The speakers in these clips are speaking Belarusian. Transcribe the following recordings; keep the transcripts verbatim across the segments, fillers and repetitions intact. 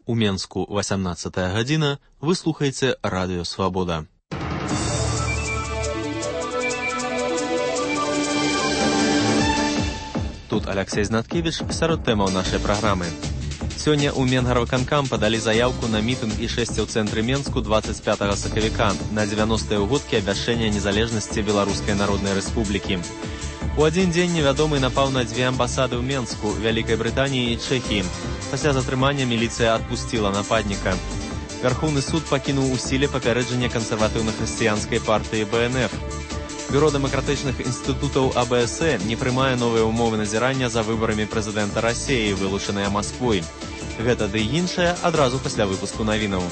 У Менску васямнадцатая гадзіна, вы слухаеце Радыё Свабода. Тут Алексей Знаткевич сярод тэмаў нашай праграмы. Сёння ў Менгарвыканкам падалі заяўку на мітынг і шэсце ў цэнтры Менску дваццаць пятага сакавіка на дзевяностыя ўгодкі абвяшчэння незалежнасці Беларускай Народнай Рэспублікі. У адзін дзень невядомы напаў на дзве амбасады ў Менску, Вялікай Брытаніі і Чэхіі. Пасля затрымання міліцыя адпусціла нападніка. Вярхоўны суд пакінуў у сіле папярэджанне кансерватыўна-хрысціянскай партыі Бэ Эн Эф. Бюро дэмакратычных інстытутаў А Бэ Эс Э не прымае новыя ўмовы назірання за выбарамі прэзідэнта Расіі, вылучаныя Масквой. Гэта ды іншае адразу пасля выпуску навінаў.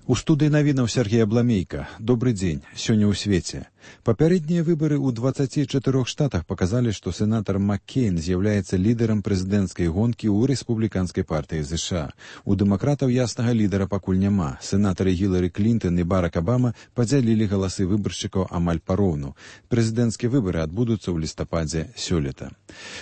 У студыі навінаў Сергей Абламейка. Добры дзень. Сёння ў свеце. Папярэднія выбары ў дваццаці чатырох штатах паказалі, што сенатар Маккейн з'яўляецца лідарам прэзідэнцкай гонкі ў рэспубліканскай партыі ЗША. У дэмакратаў яснага лідара пакуль няма. Сенатары Гілары Клінтон і Барак Абама падзялілі галасы выбаршчыкаў амаль пароўну. Прэзідэнцкія выбары адбудуцца ў лістападзе сёлета.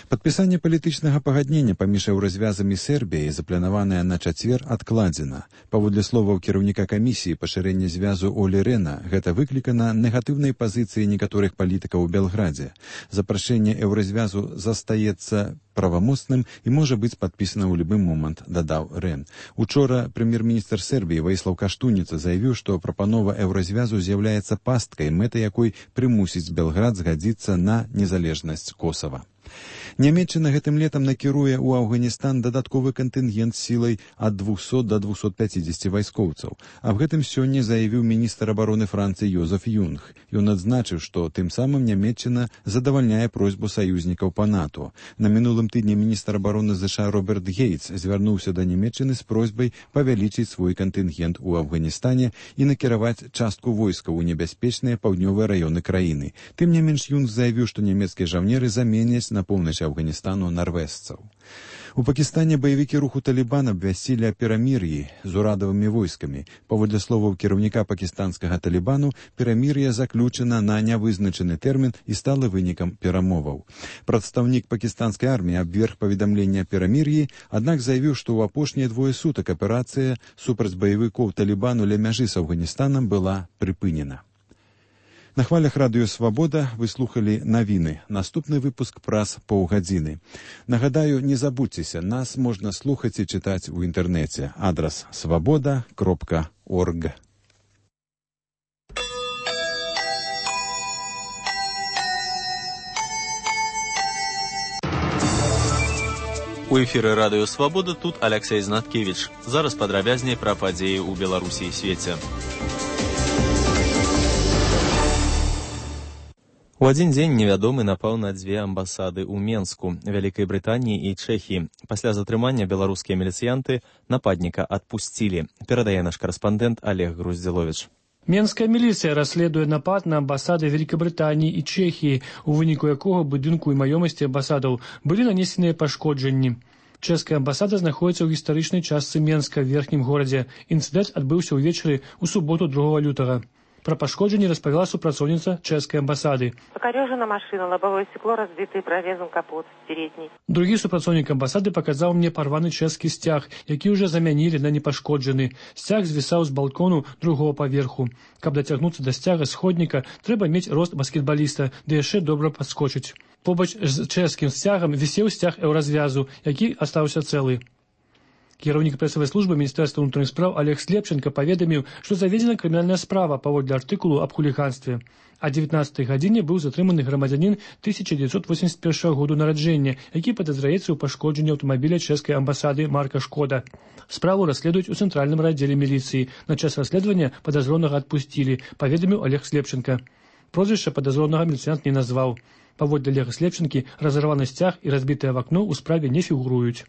Падпісанне палітычнага пагаднення паміж еўразвязамі Сербіяй, запланаванае на чацвер, адкладзена. Паводле словаў кіраўніка камісіі пашырэння звязу Олі Рэна, гэта выклікана негатыўнай пазіцыі некаторых палітыкаў у Белградзе. Запрашэнне еўразвязу застаецца правамоцным і можа быць падпісана ў любы момант, дадаў Рэн. Учора прэм'ер-міністр Сербіі Ваіслаў Каштуніца заявіў, што прапанова еўразвязу з'яўляецца пасткай, мэта якой прымусіць Белград згадзіцца на незалежнасць Косава. Нямецчына гэтым летам накіруе ў Афганістан дадатковы кантынгент сілай ад двухсот да двухсот пяцідзесяці вайскоўцаў. Аб гэтым сёння заявіў міністр абароны Францыі Йозеф Юнг. Ён адзначыў, што тым самым Нямецчына задавальняе просьбу саюзнікаў па НАТО. На мінулым тыдні міністр абароны ЗША Роберт Гейтс звярнуўся да Нямецчыны з просьбай павялічыць свой кантынгент у Афганістане і накіраваць частку войскаў у небяспечныя паўднёвыя раёны краіны. Тым не менш, Юнг заявіў, што нямецкія жаўнеры заменяць на поўначы Афганістану нарвежцаў. У Пакістане баевікі руху Талібан абвясцілі о перамір'і з урадавымі войскамі. Паводле словаў кіраўніка пакістанскага Талібану, перамір'е заключана на нявызначаны тэрмін і стала вынікам перамоваў. Прадстаўнік пакістанскай арміі абверг паведамленне о перамір'і, аднак заявіў, што ў апошнія двое сутак аперацыя супраць баевікоў Талібану ля мяжы з Афганістанам была прыпынена. На хвалях Радыё Свабода вы слухалі навіны. Наступны выпуск праз паўгадзіны. Нагадаю, не забудзьцеся, нас можна слухаць і чытаць у інтэрнэце. Адрас свабода кропка орг. У эфіры Радыё Свабода тут Алексей Знаткевич. Зараз падрабязней пра падзеі ў Беларусі і свеце. У адзін дзень невядомы напаў на дзве амбасады ў Менску, Вялікай Брытаніі і Чэхіі. Пасля затрымання беларускія міліцыянты нападніка адпусцілі. Перадае наш карэспандэнт Олег Груздзіловіч. Менская міліцыя расследуе напад на амбасады Вялікабрытаніі і Чэхіі, у выніку якога будынку і маёмасці амбасадаў былі нанесеныя пашкоджанні. Чэшская амбасада знаходзіцца ў гістарычнай частцы Менска, в верхнім горадзе. Інцыдэнт адбыўся ўвечары ў суботу другога лютага. Пра пашкоджанні распавяла супрацоўніца чэшскай амбасады. Пакарёжана машина, лобовое стекло разбитое, прорезан капот передний. Другі супрацоўнік амбасады паказаў мне парваны чэшскі сцяг, які ўжо замянілі на непашкоджаны. Сцяг звісаў з балкону другого паверху. Каб дацягнуцца да сцяга сходніка, трэба мець рост баскетбаліста, ды яшчэ добра падскочыць. Побач з чэшскім сцягам вісеў сцяг еўразвязу, які астаўся цэлы. Кіраўнік прэсавай службы Міністэрства ўнутраных спраў Олег Слепченко паведаміў, што заведзена крымінальная справа паводле артыкулу аб хуліганстве. А дзевятнаццатай гадзіне быў затрыманы грамадзянін тысяча дзевяцьсот восемьдесят першага году нараджэння, які падазраецца ў пашкоджанні аўтамабіля чэшскай амбасады марка «Шкода». Справу расследуюць у цэнтральным раддзеле міліцыі. На час расследавання падазронага адпусцілі, паведаміў Олег Слепченко. Прозвішча падазронага міліцыянт не назваў. Паводле Олега Слепченкі, разарваны сцяг і разбітае вакно ў справе не фігуруюць.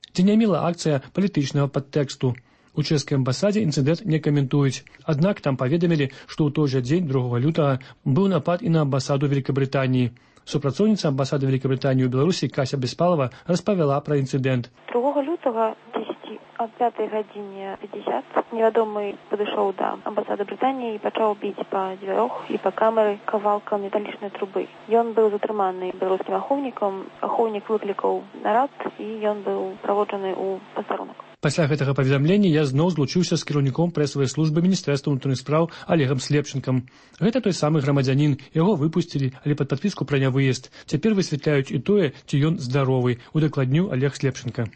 Ці не мела акцыя палітычнага падтэксту. У чэшскай амбасадзе інцыдэнт не каментуюць. Аднак там паведамілі, што ў той жа дзень другога лютага быў напад і на амбасаду Вялікабрытаніі. Супрацоўніца амбасады Вялікабрытаніі ў Беларусі Кася Беспалова распавяла пра інцыдэнт. другога лютага дзесяць о пятой гадзіне пятьдесят невядомы падышоў да амбасады Брытаніі і пачаў біць па дзвярох і па камеры кавалкам металічнай трубы. Ён быў затрыманы беларускім ахоўнікам, ахоўнік выклікаў нарад і ён быў праводжаны ў пастарунак. Пасля гэтага паведамлення я зноў злучыўся з кіраўніком прэсавай службы міністэрства ўнутраных спраў Олегам Слепчынкам. Гэта той самы грамадзянін, яго выпусцілі, але пад падпіску пра нявыезд. Цяпер высвятляюць і тое, ці ён здаровы, удакладніў Олег Слепчынка.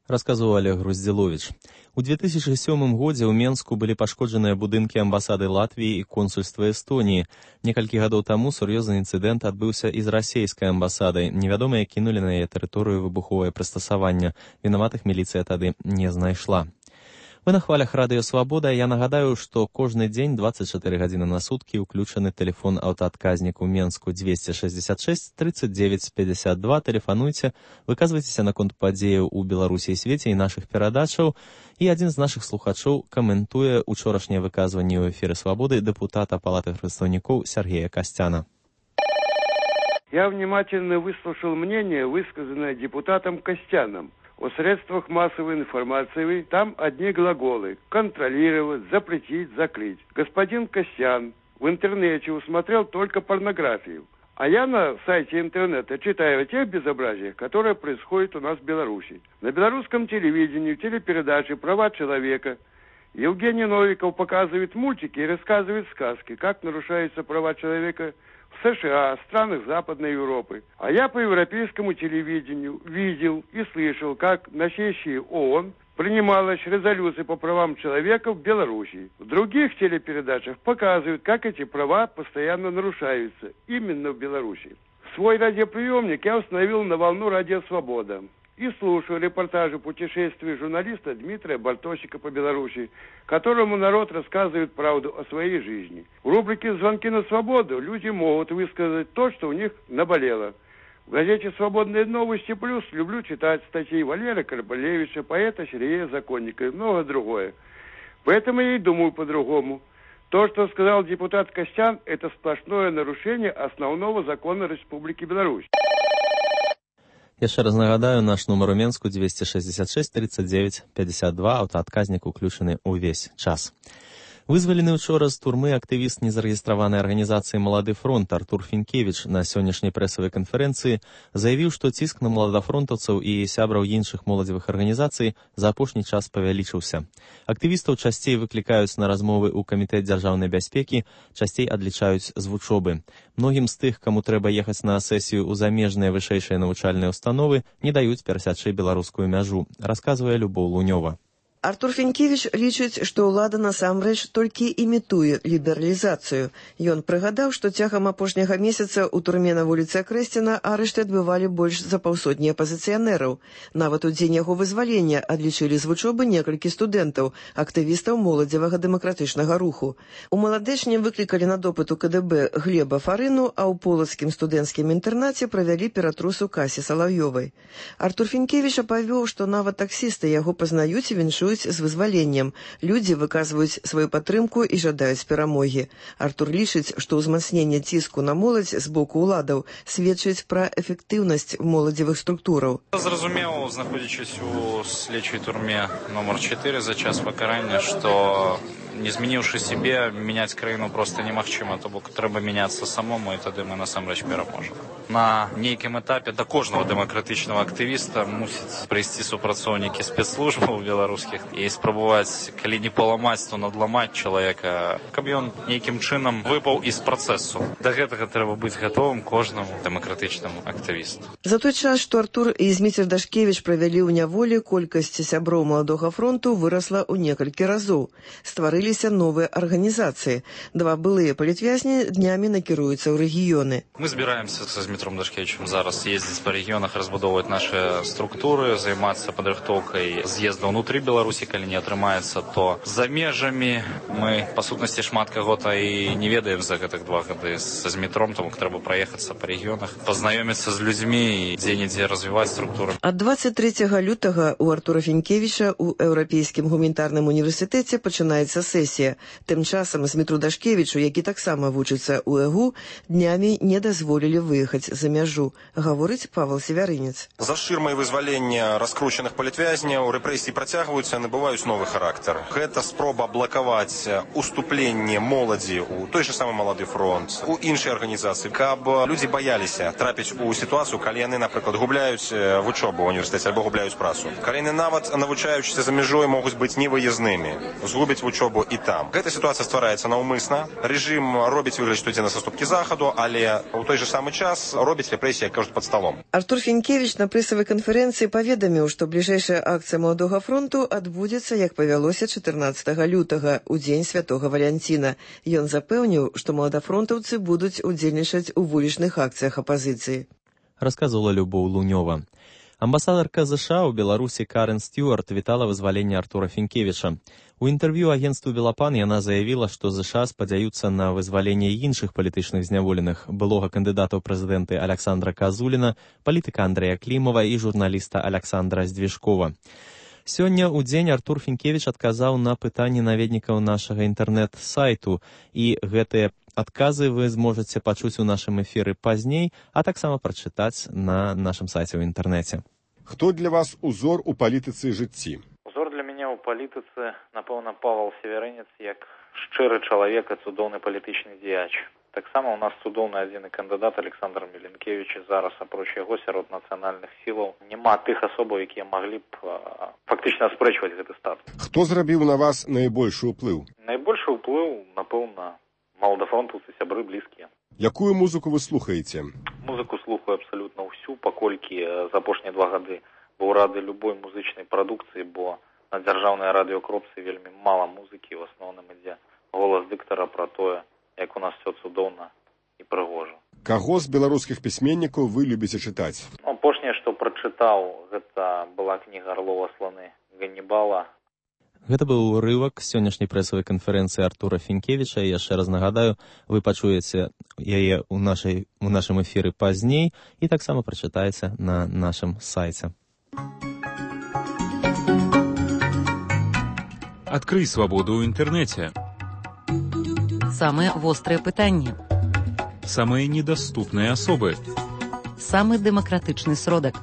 Расказваў Олег Груздзіловіч. У две тысячи сёмым годзе ў Менску былі пашкоджаныя будынкі амбасады Латвіі і консульства Эстоніі. Некалькі гадоў таму сур'ёзны інцыдэнт адбыўся і з расейскай амбасадай. Невядомыя кінулі на яе тэрыторыю выбуховае прыстасаванне. Вінаватых міліцыя тады не знайшла. Вы на хвалях Радыё Свабода. Я нагадаю, што кожны дзень двадцать четыре гадзіны на суткі ўключаны тэлефон аўтаадказнік у Менску двести шестьдесят шесть тридцать девять пятьдесят два. Тэлефануйце, выказвайцеся наконт падзеяў у Беларусі і свеце і нашых перадачаў. І адзін з нашых слухачоў каментуе учорашняе выказванне ў эфіры Свабоды дэпутата Палаты прадстаўнікоў Сергея Костяна. Я внимательно выслушал мнение, высказанное депутатом Костяном. О средствах массовой информации там одни глаголы: контролировать, запретить, закрыть. Господин Костян в интернете усмотрел только порнографию. А я на сайте интернета читаю о тех безобразиях, которые происходят у нас в Беларуси. На белорусском телевидении, телепередаче «Права человека» Евгений Новиков показывает мультики и рассказывает сказки, как нарушаются права человека в США, странах Западной Европы. А я по европейскому телевидению видел и слышал, как на сессии ООН принималась резолюция по правам человека в Беларуси. В других телепередачах показывают, как эти права постоянно нарушаются именно в Беларуси. Свой радиоприемник я установил на волну «Радио Свобода» и слушаю репортажи путешествий журналиста Дмитрия Бартосика по Беларуси, которому народ рассказывает правду о своей жизни. В рубрике «Звонки на свободу» люди могут высказать то, что у них наболело. В газете «Свободные новости плюс» люблю читать статьи Валерия Карбалевича, поэта Сергея Законника и многое другое. Поэтому я и думаю по-другому. То, что сказал депутат Костян, это сплошное нарушение основного закона Республики Беларусь. Яшчэ раз нагадаю, наш нумар у Менску двести шестьдесят шесть тридцать девять пятьдесят два, аўтаадказнік уключаны ўвесь час. Вызвалены учора з турмы актывіст незарэгістраванай арганізацыі «Малады фронт» Артур Фінкевіч на сённяшняй прэсавай канферэнцыі заявіў, што ціск на маладафронтаўцаў і сябраў іншых моладзевых арганізацый за апошні час павялічыўся. Актывістаў часцей выклікаюць на размовы ў камітэт дзяржаўнай бяспекі, часцей адлічаюць з вучобы. Многім з тых, каму трэба ехаць на сесію ў замежныя вышэйшыя навучальныя установы, не даюць перасячы беларускую мяжу, расказвае Любоў Лунёва. Артур Фінкевіч лічыць, што ўлада насамрэч толькі імітуе лібералізацыю. Ён прыгадаў, што цягам апошняга месяца ў турме на вуліцы Акрэсціна арышты адбывалі больш за паўсотні апазіцыянераў. Нават у дзень яго вызвалення адлічылі з вучобы некалькі студэнтаў, актывістаў моладзевага дэмакратычнага руху. У Маладэчні выклікалі на допыт у ка дэ бэ Глеба Фарыну, а ў полацкім студэнцкім інтэрнаце правялі ператрус у Касі Салаўёвай. Артур Фінкевіч апавёў, што нават таксісты яго пазнаюць і віншуюць з вызваленнем. Людзі выказваюць сваю падтрымку і жадаюць перамогі. Артур лічыць, што ўзмацненне ціску на моладзь з боку ўладаў сведчыць пра эфектыўнасць моладзевых структураў. Зразумеў, знаходзячись у следчай турме номер чатыры за час пакарання, што не змяніўшы сябе, мяняць краіну проста немагчыма, то бок трэба мяняцца самому, і тады мы насамрэч пераможам. На нейкім этапе да кожнага дэмакратычнага актывіста мусіць прыйсці супрацоўнікі спецслужбаў беларускіх і спрабаваць, калі не паламаць, то надламаць чалавека, каб ён нейкім чынам выпаў з працэсу. Да гэтага трэба быць гатовым кожнаму дэмакратычнаму актывісту. За той час, што Артур і Зміцер Дашкевіч правялі ў няволі, колькасць сяброў Маладога фронту вырасла ў некалькі разоў. Стварыліся новыя арганізацыі. Два былыя палітвязні днямі накіруюцца ў рэгіёны. Мы збіраемся са Змітром Дашкевічем зараз ездзіць па рэгіёнах, разбудоўваць нашы структуры, займацца падрыхтоўкай з'езда ўнутры Беларусі, калі не атрымаецца, то за межамі. Мы, па сутнасці, шмат каго-то і не ведаем за гэтых два гады са Змітром, таму трэба праехацца па рэгіёнах, пазнаёміцца з людзьмі і дзе-нідзе развіваць структуры. Ад дваццаць трэцяга лютага у Артура Фінкевіча ў Еўрапейскім гуманітарным універсітэце пачынаецца сесія. Тым часам Змітру Дашкевічу, які таксама вучыцца ў ЭГУ, днямі не дазволілі выехаць за мяжу, гаворыць Павел Севярынец. За шырмай вызвалення раскручаных палітвязняў рэпрэсіі працягваюцца, набываюць новы характар. Гэта спроба блакаваць уступленне моладзі ў той же самы Малады фронт, у іншыя арганізацыі, каб людзі баяліся трапіць у сітуацыю, калі яны, напрыклад, губляюць вучобу ў універсітэце альбо губляюць працу. Калі яны нават навучаючыся за мяжой могуць быць невыязнымі, згубяць вучобу і там. Гэта сітуацыя ствараецца наўмысна. Рэжым робіць выгляд, што ідзе на саступкі захаду, але ў той же самы час робіць рэпрэсіі, як кажуць, пад сталом. Артур Фінкевіч на прэсавай канферэнцыі паведаміў, што бліжэйшая акцыя Маладога фронту адбудзецца, як павялося, чатырнаццатага лютага, у дзень святога Валянціна. Ён запэўніў, што маладафронтаўцы будуць удзельнічаць у вулічных акцыях апазіцыі. Расказвала Любоў Лунёва. Амбасадарка ЗША ў Беларусі Карен Стюарт вітала вызваленне Артура Фінкевіча. У інтэрв'ю агенцтву «Белапан» яна заявіла, што ЗША спадзяюцца на вызваленне іншых палітычных зняволеных, былога кандыдата ў прэзідэнты Аляксандра Казуліна, палітыка Андрэя Клімава і журналіста Аляксандра Здвижкова. Сёння ў дзень Артур Фінкевіч адказаў на пытанні наведнікаў нашага інтэрнэт-сайту, і гэтыя адказы вы зможаце пачуць у нашым эфіры пазней, а таксама прачытаць на нашым сайце ў інтэрнэце. Хто для вас узор у палітыцы жыцці? Узор для мяне ў палітыцы, напэўна, Павел Севярынец, як шчыры чалавек і цудоўны палітычны дзеяч. Таксама у нас цудоўны адзіны кандыдат Александр Меленкевич. Зараз, апроч яго, сярод нацыянальных сілаў няма тых асобаў, якія маглі б фактычна аспрэчваць гэты статус. Хто зрабіў на вас найбольшы ўплыў? Найбольшы ўплыў, напэўна, маладафронтаўцы, сябры блізкія. Якую музыку вы слухаеце? Музыку слухаю абсалютна ўсю, паколькі за апошнія два гады быў рады любой музычнай прадукцыі, бо на дзяржаўнай радыёкропцы вельмі мала музыкі, в асноўным ідзе голас дыктара пра тое, як у нас все цудоўна і прыгожа. Каго з беларускіх пісьменнікаў вы любіце чытаць? Апошняе, што прачытаў, гэта была кніга Арлова «Сланы Ганнібала». Гэта быў урывак сённяшняй прэсавай канферэнцыі Артура Фінкевіча. І яшчэ раз нагадаю, вы пачуеце яе ў нашай, у нашым эфіры пазней і таксама прачытаеце на нашым сайце. Адкрый свабоду ў інтэрнэце. Самыя вострыя пытанні. Самыя недаступныя асобы. Самы дэмакратычны сродак.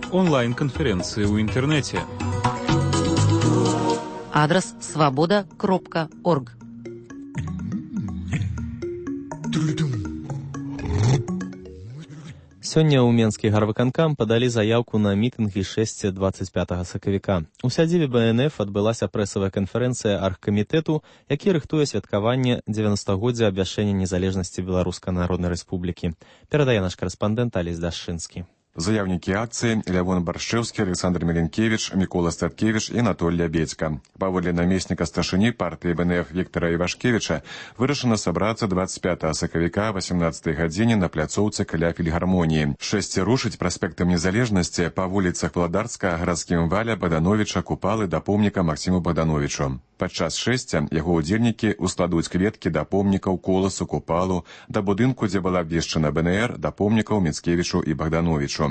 Онлайн-канферэнцыі ў інтэрнэце. Адрас свабода кропка орг. Сёння ў Менскі гарвыканкам падалі заяўку на мітынгі шэсці дваццаць пятага сакавіка. У сядзібе Бэ Эн Эф адбылася прэсавая канферэнцыя аргкамітэту, які рыхтуе святкаванне дзевяностагоддзя абвяшчэння незалежнасці Беларускай Народнай Рэспублікі. Перадае наш карэспандэнт Алесь Дашчынскі. Заяўнікі акцыі Лявон Баршчэўскі, Александр Меленкевич, Мікола Статкевич і Анатоль Лябедзька. Паводле намесніка старшыні партыі Бэ Эн Эф Віктара Івашкевіча вырашана сабрацца дваццаць пятага сакавіка васемнаццатай гадзіне на пляцоўцы каля фільгармоніі. Шэсці рушыць праспектам незалежнасці па вуліцах Владарска, гарадскім Валя, Бадановіча, Купалы да помніка Максіму Бадановічу. Падчас шэсця яго ўдзельнікі ускладуць кветкі да помнікаў Коласу, Купалу, да будынку, дзе была абвешчана Бэ Эн Эр, да помнікаў Міцкевічу і Богдановичу.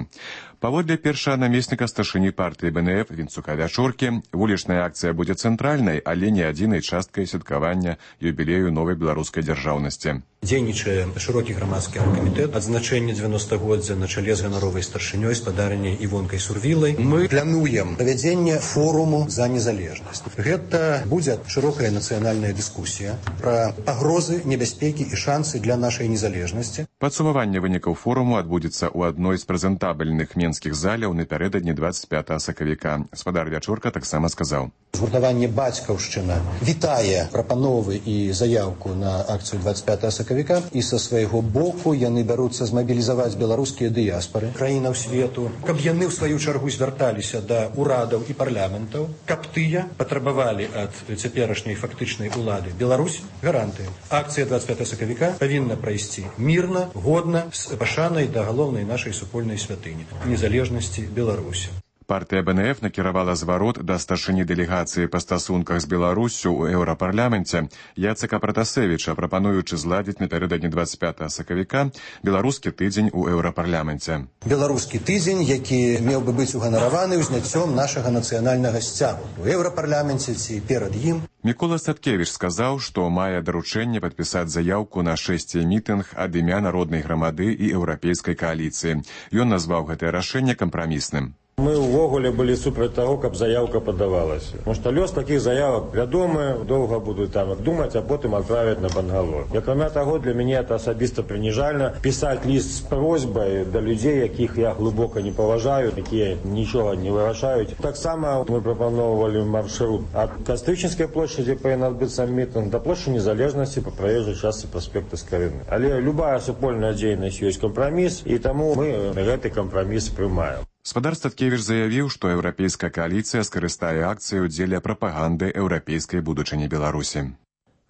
Паводле першага намесніка старшыні партыі Бэ Эн Эф Вінцука Вячоркі, вулічная акцыя будзе цэнтральнай, але не адзінай часткай святкавання юбілею новай беларускай дзяржаўнасці. Дзейнічае шырокі грамадскі аргкамітэт адзначэння дзевяностагоддзя на чале з ганаровай старшынёй спадарняй Івонкай Сурвілай. Мы плануем правядзенне форуму за незалежнасць. Гэта будзе шырокая нацыянальная дыскусія пра пагрозы, небяспекі і шансы для нашай незалежнасці. Падсумаванне вынікаў форуму адбудзецца ў адной з прэзентабельных менскіх заляў напярэдадні дваццаць пятага сакавіка. Спадар Вячорка таксама сказаў. Згуртаванне «Бацькаўшчына» вітае прапановы і заяўку на акцыю дваццаць пятага сакавіка, і са свайго боку яны бяруцца змабілізаваць беларускія дыяспары краінаў свету, каб яны ў сваю чаргу звярталіся да ўрадаў і парламентаў, каб тыя патрабавалі ад цяперашняй фактычнай улады Беларусь гарантыі. Акцыя дваццаць пятага сакавіка павінна прайсці мірна, годна, з пашанай да галоўнай нашай супольнай святыні незалежнасці Беларусі. Партыя бэ эн эф накіравала зварот да старшыні дэлегацыі па стасунках з Беларуссю ў еўрапарламенце Яцека Пратасевіча, прапануючы зладзіць напярэдадні дваццаць пятага сакавіка беларускі тыдзень у еўрапарламенце. Беларускі тыдзень, які меў бы быць уганараваны ўзняццём нашага нацыянальнага сцягу у еўрапарламенце ці перад ім. Мікола Статкевіч сказаў, што мае даручэнне падпісаць заяўку на шэсце мітынг ад імя народнай грамады і еўрапейскай кааліцыі. Ён назваў гэтае рашэнне кампрамісным. Мы ўвогуле былі супраць таго, каб заяўка падавалася. Тому што лёс такіх заявак вядомы, доўга будуць там думаць, а потым адправяць на Бангалор. І акрамя таго, для мяне это асабіста прыніжальна пісаць ліст з просьбай да людзей, якіх я глыбока не паважаю, якія нічога не вырашаюць. Таксама мы прапаноўвалі маршрут ад Кастрычніцкай плошчы, дзе павінен адбыцца мітынг, да плошчы Незалежнасці па праезжай частцы праспекта Скарыны. Але любая супольная дзейнасць ёсць кампраміс, і таму мы гэты кампраміс прымаем. Спадар Статкевіч заявіў, што еўрапейская кааліцыя скарыстае акцыю дзеля прапаганды еўрапейскай будучыні Беларусі.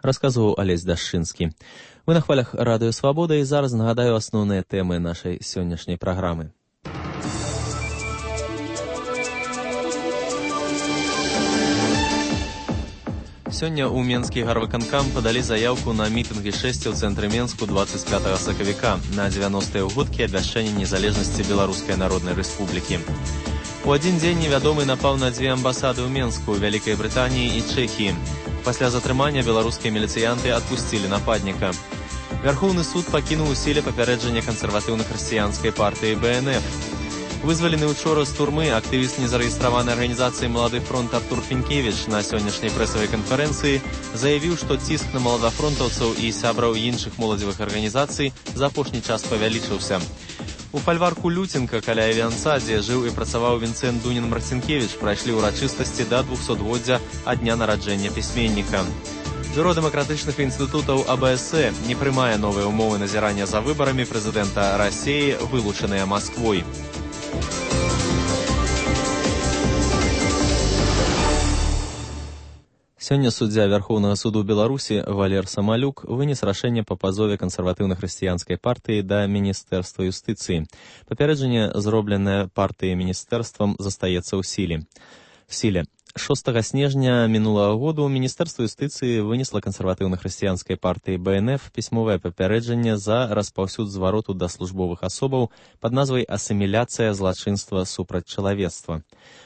Расказваў Алесь Дашчынскі. Вы на хвалях Радыё Свабода, і зараз нагадаю асноўныя тэмы нашай сённяшняй праграмы. Сёння ў Менскі гарвыканкам падалі заяўку на мітынгі шэсці ў цэнтры Менску дваццаць пятага сакавіка на дзевяностыя ўгодкі абвяшчэння незалежнасці Беларускай Народнай Рэспублікі. У адзін дзень невядомы напаў на дзве амбасады ў Менску, Вялікай Брытаніі і Чэхіі. Пасля затрымання беларускія міліцыянты адпусцілі нападніка. Вярхоўны суд пакінуў у сіле папярэджанне кансерватыўна-хрысціянскай партыі бэ эн эф. Вызвалены учора з турмы актывіст незарэгістраванай арганізацыі «Малады фронт» Артур Фінкевіч на сённяшняй прэсавай канферэнцыі заявіў, што ціск на маладафронтаўцаў і сябраў іншых моладзевых арганізацый за апошні час павялічыўся. У фальварку Люценка каля Авіанца, дзе жыў і працаваў Вінцэнт Дунін-Марцінкевіч, прайшлі ўрачыстасці да двухсотгоддзя ад дня нараджэння пісьменніка. Бюро дэмакратычных інстытутаў а бэ эс э не прымае новыя ўмовы назірання за выбарамі прэзідэнта Расіі, вылучаныя Масквой. Сёння суддзя Вярхоўнага суду Беларусі Валер Самалюк вынес рашэнне па пазове кансерватыўна-хрысціянскай партыі да Міністэрства юстыцыі. Папярэджанне, зробленае партыяй міністэрствам, застаецца ў сіле. В сіле. шостага снежня мінулага году Міністэрства юстыцыі вынесла кансерватыўна-хрысціянскай партыі бэ эн эф пісьмовае папярэджанне за распаўсюд звароту да службовых асобаў пад назвай «Асіміляцыя злачынства супраць чалавецтва».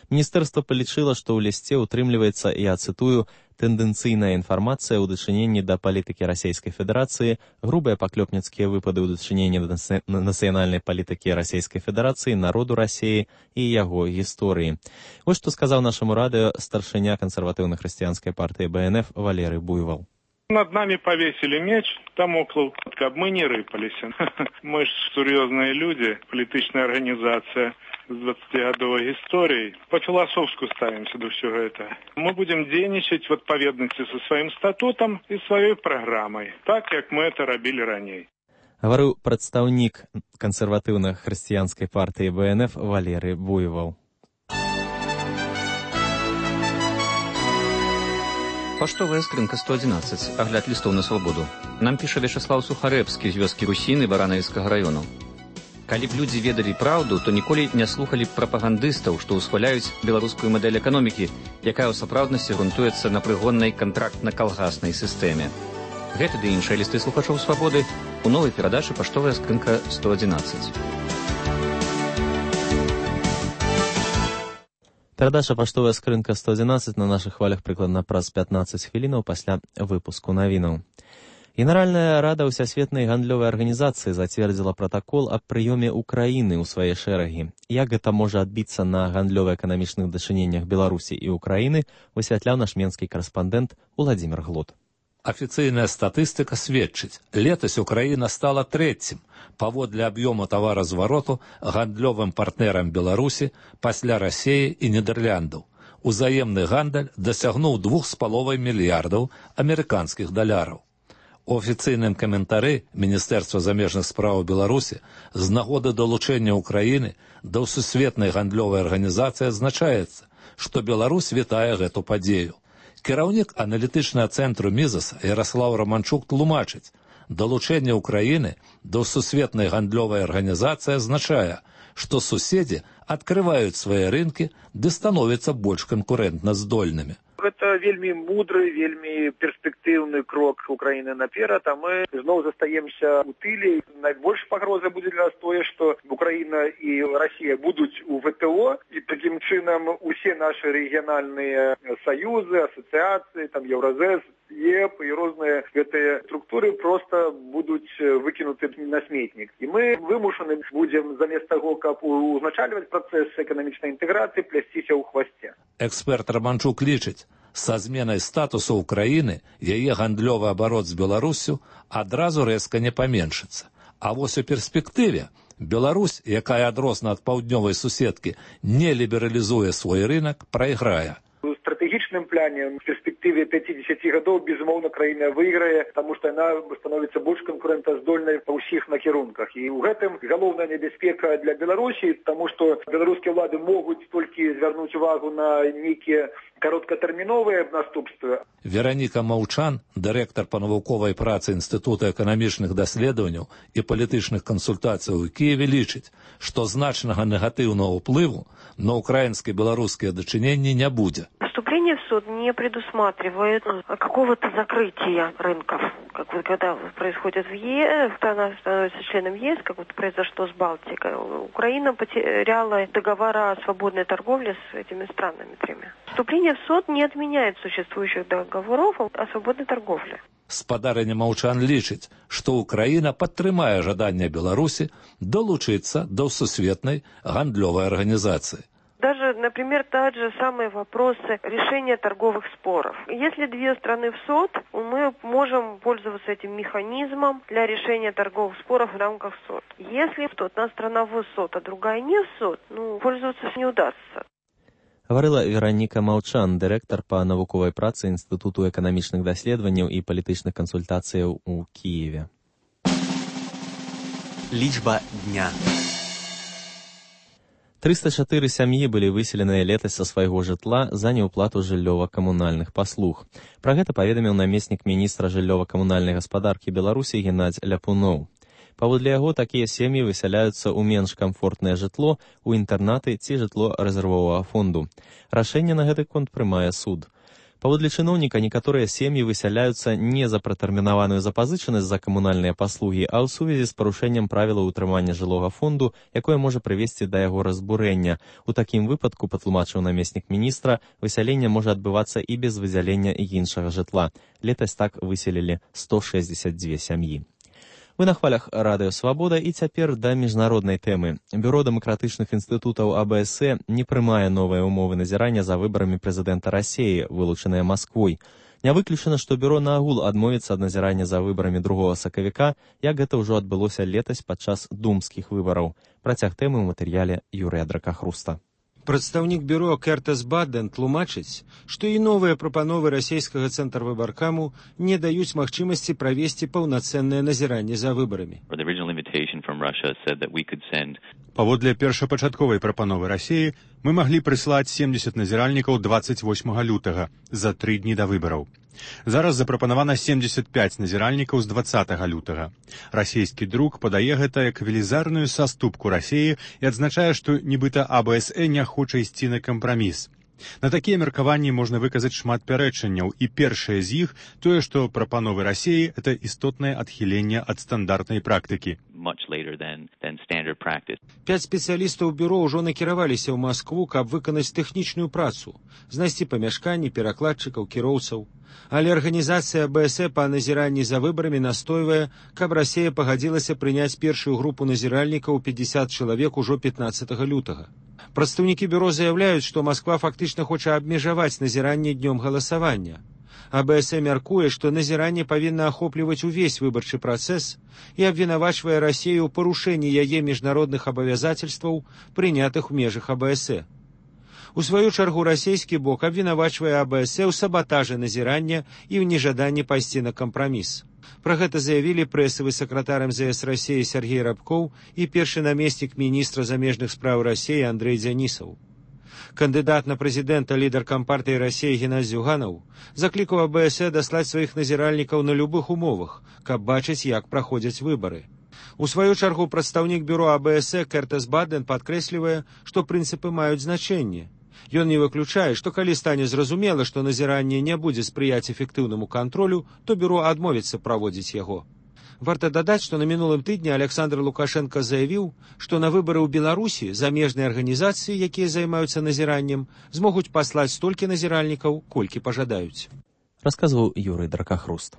Міністэрства палічыла, што ў лісце ўтрымліваецца, я цытую, «тэндэнцыйная інфармацыя ў дачыненні да палітыкі Расійскай Федэрацыі, грубыя паклёпніцкія выпады ў дачыненні да нацыянальнай палітыкі Расійскай Федэрацыі, народу Расіі і яго гісторыі». Вось што сказаў нашаму радыё старшыня кансерватыўна-хрысціянскай партыі бэ эн эф Валерый Буйвол. Над нами повесили меч, Дамоклов, каб мы не рыпаліся. Мы ж сур'ёзныя людзі, палітычная арганізацыя з дваццацігадовай гісторыяй. Па-філасофску ставімся да ўсё гэта. Мы будем дзейнічаць в адпаведнасці са сваім статутам і сваёй праграмай, так як мы это рабілі раней. Гаварыў прадстаўнік кансерватыўна-хрысціянскай партыі бэ эн эф Валерый Буйвол. Паштовая скрынка сто адзінаццаць. Агляд лістоў на свабоду. Нам піша Вячаслаў Сухарэбскі з вёскі Русіны Баранавіцкага раёну. Калі б людзі ведалі праўду, то ніколі не слухалі б прапагандыстаў, што ўсхваляюць беларускую мадэль эканомікі, якая ў сапраўднасці грунтуецца на прыгоннай кантрактна-калгаснай сістэме. Гэты ды іншыя лісты слухачоў свабоды у новай перадачы «Паштовая скрынка сто адзінаццаць». Перадача «Паштовая скрынка сто адзінаццаць» на нашых хвалях прыкладна праз пятнаццаць хвілінаў пасля выпуску навінаў. Генеральная рада ўсясветнай гандлёвай арганізацыі зацвердзіла пратакол аб прыёме Украіны ў свае шэрагі. Як гэта можа адбіцца на гандлёва-эканамічных дачыненнях Беларусі і Украіны, высвятляў наш менскі карэспандэнт Уладзімір Глот. Афіцыйная статыстыка сведчыць, летась Украіна стала трэцім паводле аб'ёму таваразвароту гандлёвым партнерам Беларусі пасля Расіі і Нідэрляндаў. Узаемны гандаль дасягнуў двух з паловай мільярдаў амерыканскіх даляраў. У афіцыйным каментары Міністэрства замежных спраў Беларусі з нагоды далучэння Украіны да сусветнай гандлёвай арганізацыі адзначаецца, што Беларусь вітае гэту падзею. Кіраўнік аналітычнага цэнтру «Мізас» Яраслаў Раманчук тлумачыць, Далучэнне ўкраіны да сусветнай гандлёвай арганізацыі азначае, што суседзі адкрываюць свае рынкі ды становяцца больш канкурэнтна здольнымі. Гэта вельмі мудры, вельмі перспектыўны крок Украіны наперад, а мы зноў застаемся ў тыле. Найбольш пагроза будзе для нас тое, што Украіна і Расія будуць у вэ тэ о, і такім чынам усе нашы рэгіянальныя саюзы, асацыяцыі, там Еўразэс, ЕП і розныя гэтыя структуры проста будуць выкінуты на сметнік. І мы вымушаны будзем замест таго, каб узначальваць працэс эканамічнай інтэграцыі, плясціся ў хвасце. Эксперт Романчук лічыць, са зменай статусу ўкраіны яе гандлёвы абарот з Беларуссю адразу рэзка не паменшыцца. А вось у перспектыве Беларусь, якая адросна ад паўднёвай суседкі, не лібералізуе свой рынак, прайграе. У стратэгічным плане, в перспектыве пяцідзесят гадоў, безумоўна, краіна выйграе, таму што яна становіцца больш канкурэнтаздольнай па ўсіх накірунках. І ў гэтым галоўная небяспека для Беларусі, таму што беларускія ўлады могуць толькі звярнуць увагу на нейкія кароткатэрміновыя наступствы. Вераніка Маўчан, дырэктар па навуковай працы Інстытута эканамічных даследаванняў і палітычных кансультацый у Кіеве, лічыць, што значнага негатыўнага ўплыву на украінска-беларускія дачыненні не будзе. Вступление в суд не предусматривает какого-то закрытия рынков. Как вот когда происходит в ЕС, страна становится членом ЕС, как вот произошло с Балтикой, Украина потеряла договора о свободной торговле с этими странами тремя. Вступление в суд не отменяет существующих договоров о свободной торговле. Спадарыня Маўчан лічыць, што Украіна падтрымае жаданне Беларусі долучыцца до сусветнай гандлёвай арганізацыі. Даже, например, тот же самый вопрос решения торговых споров. Если две страны в СОТ, мы можем пользоваться этим механизмом для решения торговых споров в рамках СОТ. Если одна страна в СОТ, а другая не в СОТ, ну, пользоваться не удастся. Гаварыла Вераніка Маўчан, дырэктар па навуковай працы Інстытуту эканамічных даследаванняў і палітычных кансультацыяў у Кіеве. Лічба дня. трыста чатыры сям'і былі выселеныя летась са свайго жытла за неўплату жыллёва-камунальных паслуг. Пра гэта паведаміў намеснік міністра жыллёва-камунальнай гаспадаркі Беларусі Геннадзь Ляпуноў. Паводле яго, такія сем'і высяляюцца ў менш камфортнае жытло, у інтэрнаты ці жытло рэзервовага фонду. Рашэнне на гэты конт прымае суд. Паводле чыноўніка, некаторыя сем'і высяляюцца не за пратэрмінаваную запазычанасць за камунальныя паслугі, а ў сувязі з парушэннем правілаў утрымання жылога фонду, якое можа прывесці да яго разбурэння. У такім выпадку, патлумачыў намеснік міністра, высяленне можа адбывацца і без выдзялення іншага жытла. Летась так выселілі сто шэсцьдзесят дзве сям'і. Вы на хвалях Радыё Свабода, і цяпер да міжнароднай тэмы. Бюро дэмакратычных інстытутаў А Б С Э не прымае новыя ўмовы назірання за выбарамі прэзідэнта Расіі, вылучаныя Масквой. Не выключана, што бюро наогул адмовіцца ад назірання за выбарамі другога сакавіка, як гэта ўжо адбылося летась падчас думскіх выбараў. Працяг тэмы ў матэрыяле Юрыя Дракахруста. Прадстаўнік бюро Кертас Бадден тлумачыць, што і новыя прапановы расійскага цэнтрвыбаркаму не даюць магчымасці правесці паўнацэннае назіранне за выбарамі. Паводле першапачатковай прапановы Расіі мы маглі прыслаць семдзесят назіральнікаў дваццаць восьмага лютага, за тры дні да выбараў. Зараз запрапанавана семдзесят пяць назіральнікаў з дваццатага лютага. Расійскі друк падае гэта як велізарную саступку Расіі і адзначае, што нібыта А Б С Э не хоча ісці на кампраміс. На такія меркаванні можна выказаць шмат пярэчанняў, і першае з іх тое, што прапановы Расіі – это істотнае адхіленне ад стандартнай практыкі. Пяць спецыялістаў бюро ўжо накіраваліся ў Маскву, каб выканаць тэхнічную працу, знайсці памяшканні, перакладчыкаў, кіроўцаў. Але арганізацыя А Б С Э па назіранні за выбарамі настойвае, каб Расія пагадзілася прыняць першую групу назіральнікаў пятьдесят чалавек ужо пятнаццатага лютага. Прадстаўнікі бюро заяўляюць, што Масква фактычна хоча абмежаваць назіранне днём галасавання. А Б С Э мяркуе, што назіранне павінна ахопліваць увесь выбарчы працэс і абвінавачвае Расію ў парушэнні яе міжнародных абавязацельстваў, прынятых у межах А Б С Э. У сваю чаргу расійскі бок абвінавачвае А Б С Э ў сабатажы назірання і ў нежаданні пайсці на кампраміс. Пра гэта заявілі прэсавы сакратар Эм З С Расіі Сергей Рабкоў і першы намеснік міністра замежных спраў Расіі Андрэй Дзянісаў. Кандыдат на прэзідэнта лідар кампартыі Расіі Геннадзь Зюганаў заклікаў А Бэ Эс Э даслаць сваіх назіральнікаў на любых умовах, каб бачыць, як праходзяць выбары. У сваю чаргу прадстаўнік бюро А Бэ Эс Э Кертес Баден падкрэслівае, што прынцыпы маюць значэнне. Ён не выключае, што калі стане зразумела, што назіранне не будзе спрыяць эфектыўнаму кантролю, то бюро адмовіцца праводзіць яго. Варта дадаць, што на мінулым тыдні Александр Лукашенко заявіў, што на выбары ў Беларусі замежныя арганізацыі, якія займаюцца назіраннем, змогуць паслаць столькі назіральнікаў, колькі пажадаюць. Расказваў Юрый Дракахруст.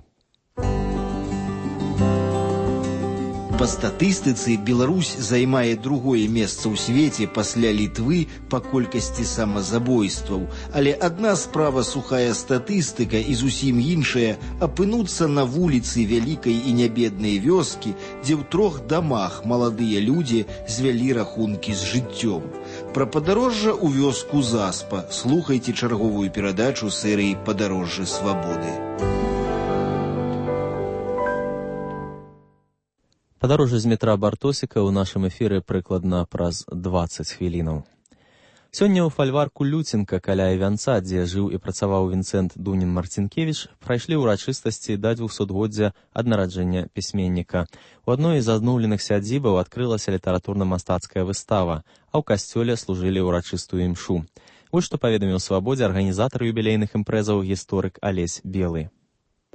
Па статыстыцы Беларусь займае другое месца ў свеце пасля Літвы па колькасці самазабойстваў. Але адна справа сухая статыстыка і зусім іншая апынуцца на вуліцы вялікай і нябеднай вёскі, дзе ў трох дамах маладыя людзі звялі рахункі з жыццём. Пра падарожжа ў вёску Заспа слухайце чарговую перадачу серыі «Падарожжа свабоды». Падарожжа з метра Бартосіка ў нашым эфіры прыкладна праз дваццаць хвілінаў. Сёння ў фальварку Люценка каля Івянца, дзе жыў і працаваў Вінцэнт Дунін-Марцінкевіч, прайшлі ўрачыстасці да двухсотгоддзя ад нараджэння пісьменніка. У адной з адноўленых сядзібаў адкрылася літаратурна-мастацкая выстава, а ў касцёле служылі ўрачыстую імшу. Вось што паведаміў «Свабодзе» арганізатар юбілейных імпрэзаў гісторык Алесь Белы.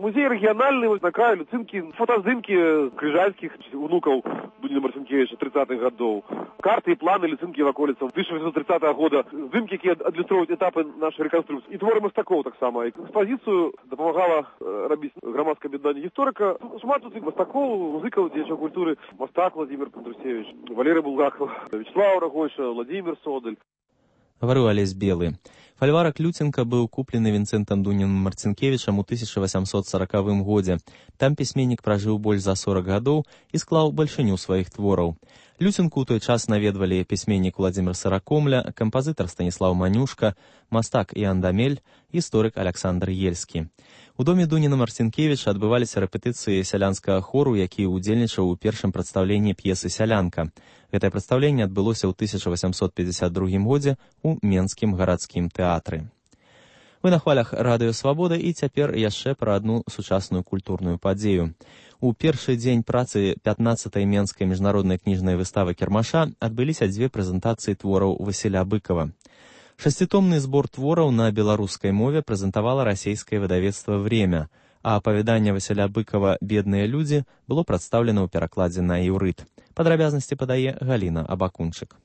Музей региональный, вот на краю Люцинки, фотоздымки крыжальских внуков Дунина Марцинкевича тридцатых годов, карты и планы Люцинки в околицах тысяча восемьсот тридцатого года, здымки, которые адлюструют этапы нашей реконструкции. И творы Мастакова так само. Экспозицию допомагала робить громадское объединение историка. Шмат тут Мастаков, музыков, деятелей культуры, Мастак Владимир Кондрусевич, Валерий Булгаков, Вячеслав Рогойша, Владимир Содель. Говорю Олесь Белый. Фальварак Люценка быў куплены Вінцэнтам Дунін-Марцінкевічам у тысяча восемьсот сорокавым годзе. Там пісьменнік пражыў больш за сорок гадоў і склаў бальшыню сваіх твораў. Люценку ў той час наведвалі пісьменнік Владзімир Сыракомля, кампазітар Станіслаў Манюшка, мастак Іан Дамель, гісторык Александр Ельскі. У доме Дуніна-Марцінкевіча адбываліся рэпетыцыі сялянскага хору, які ўдзельнічаў у першым прадстаўленні п'есы «Сялянка». Гэтае прадстаўленне адбылося ў тысяча восемьсот пятьдесят другім годзе ў Менскім гарадскім тэатры. Вы на хвалях радыё «Свабода» і цяпер яшчэ пра адну сучасную культурную падзею. У першы дзень працы пятнаццатай Менскай міжнароднай кніжнай выставы кірмаша адбыліся дзве прэзентацыі твораў Васіля Быкова. Шасцітомны збор твораў на беларускай мове прэзентавала расійскае выдавецтва «Время», а апавяданне Васіля Быкова «Бедныя людзі» было прадстаўлена ў перакладзе на іўрыт. Падрабязнасці падае Галіна Абакунчык.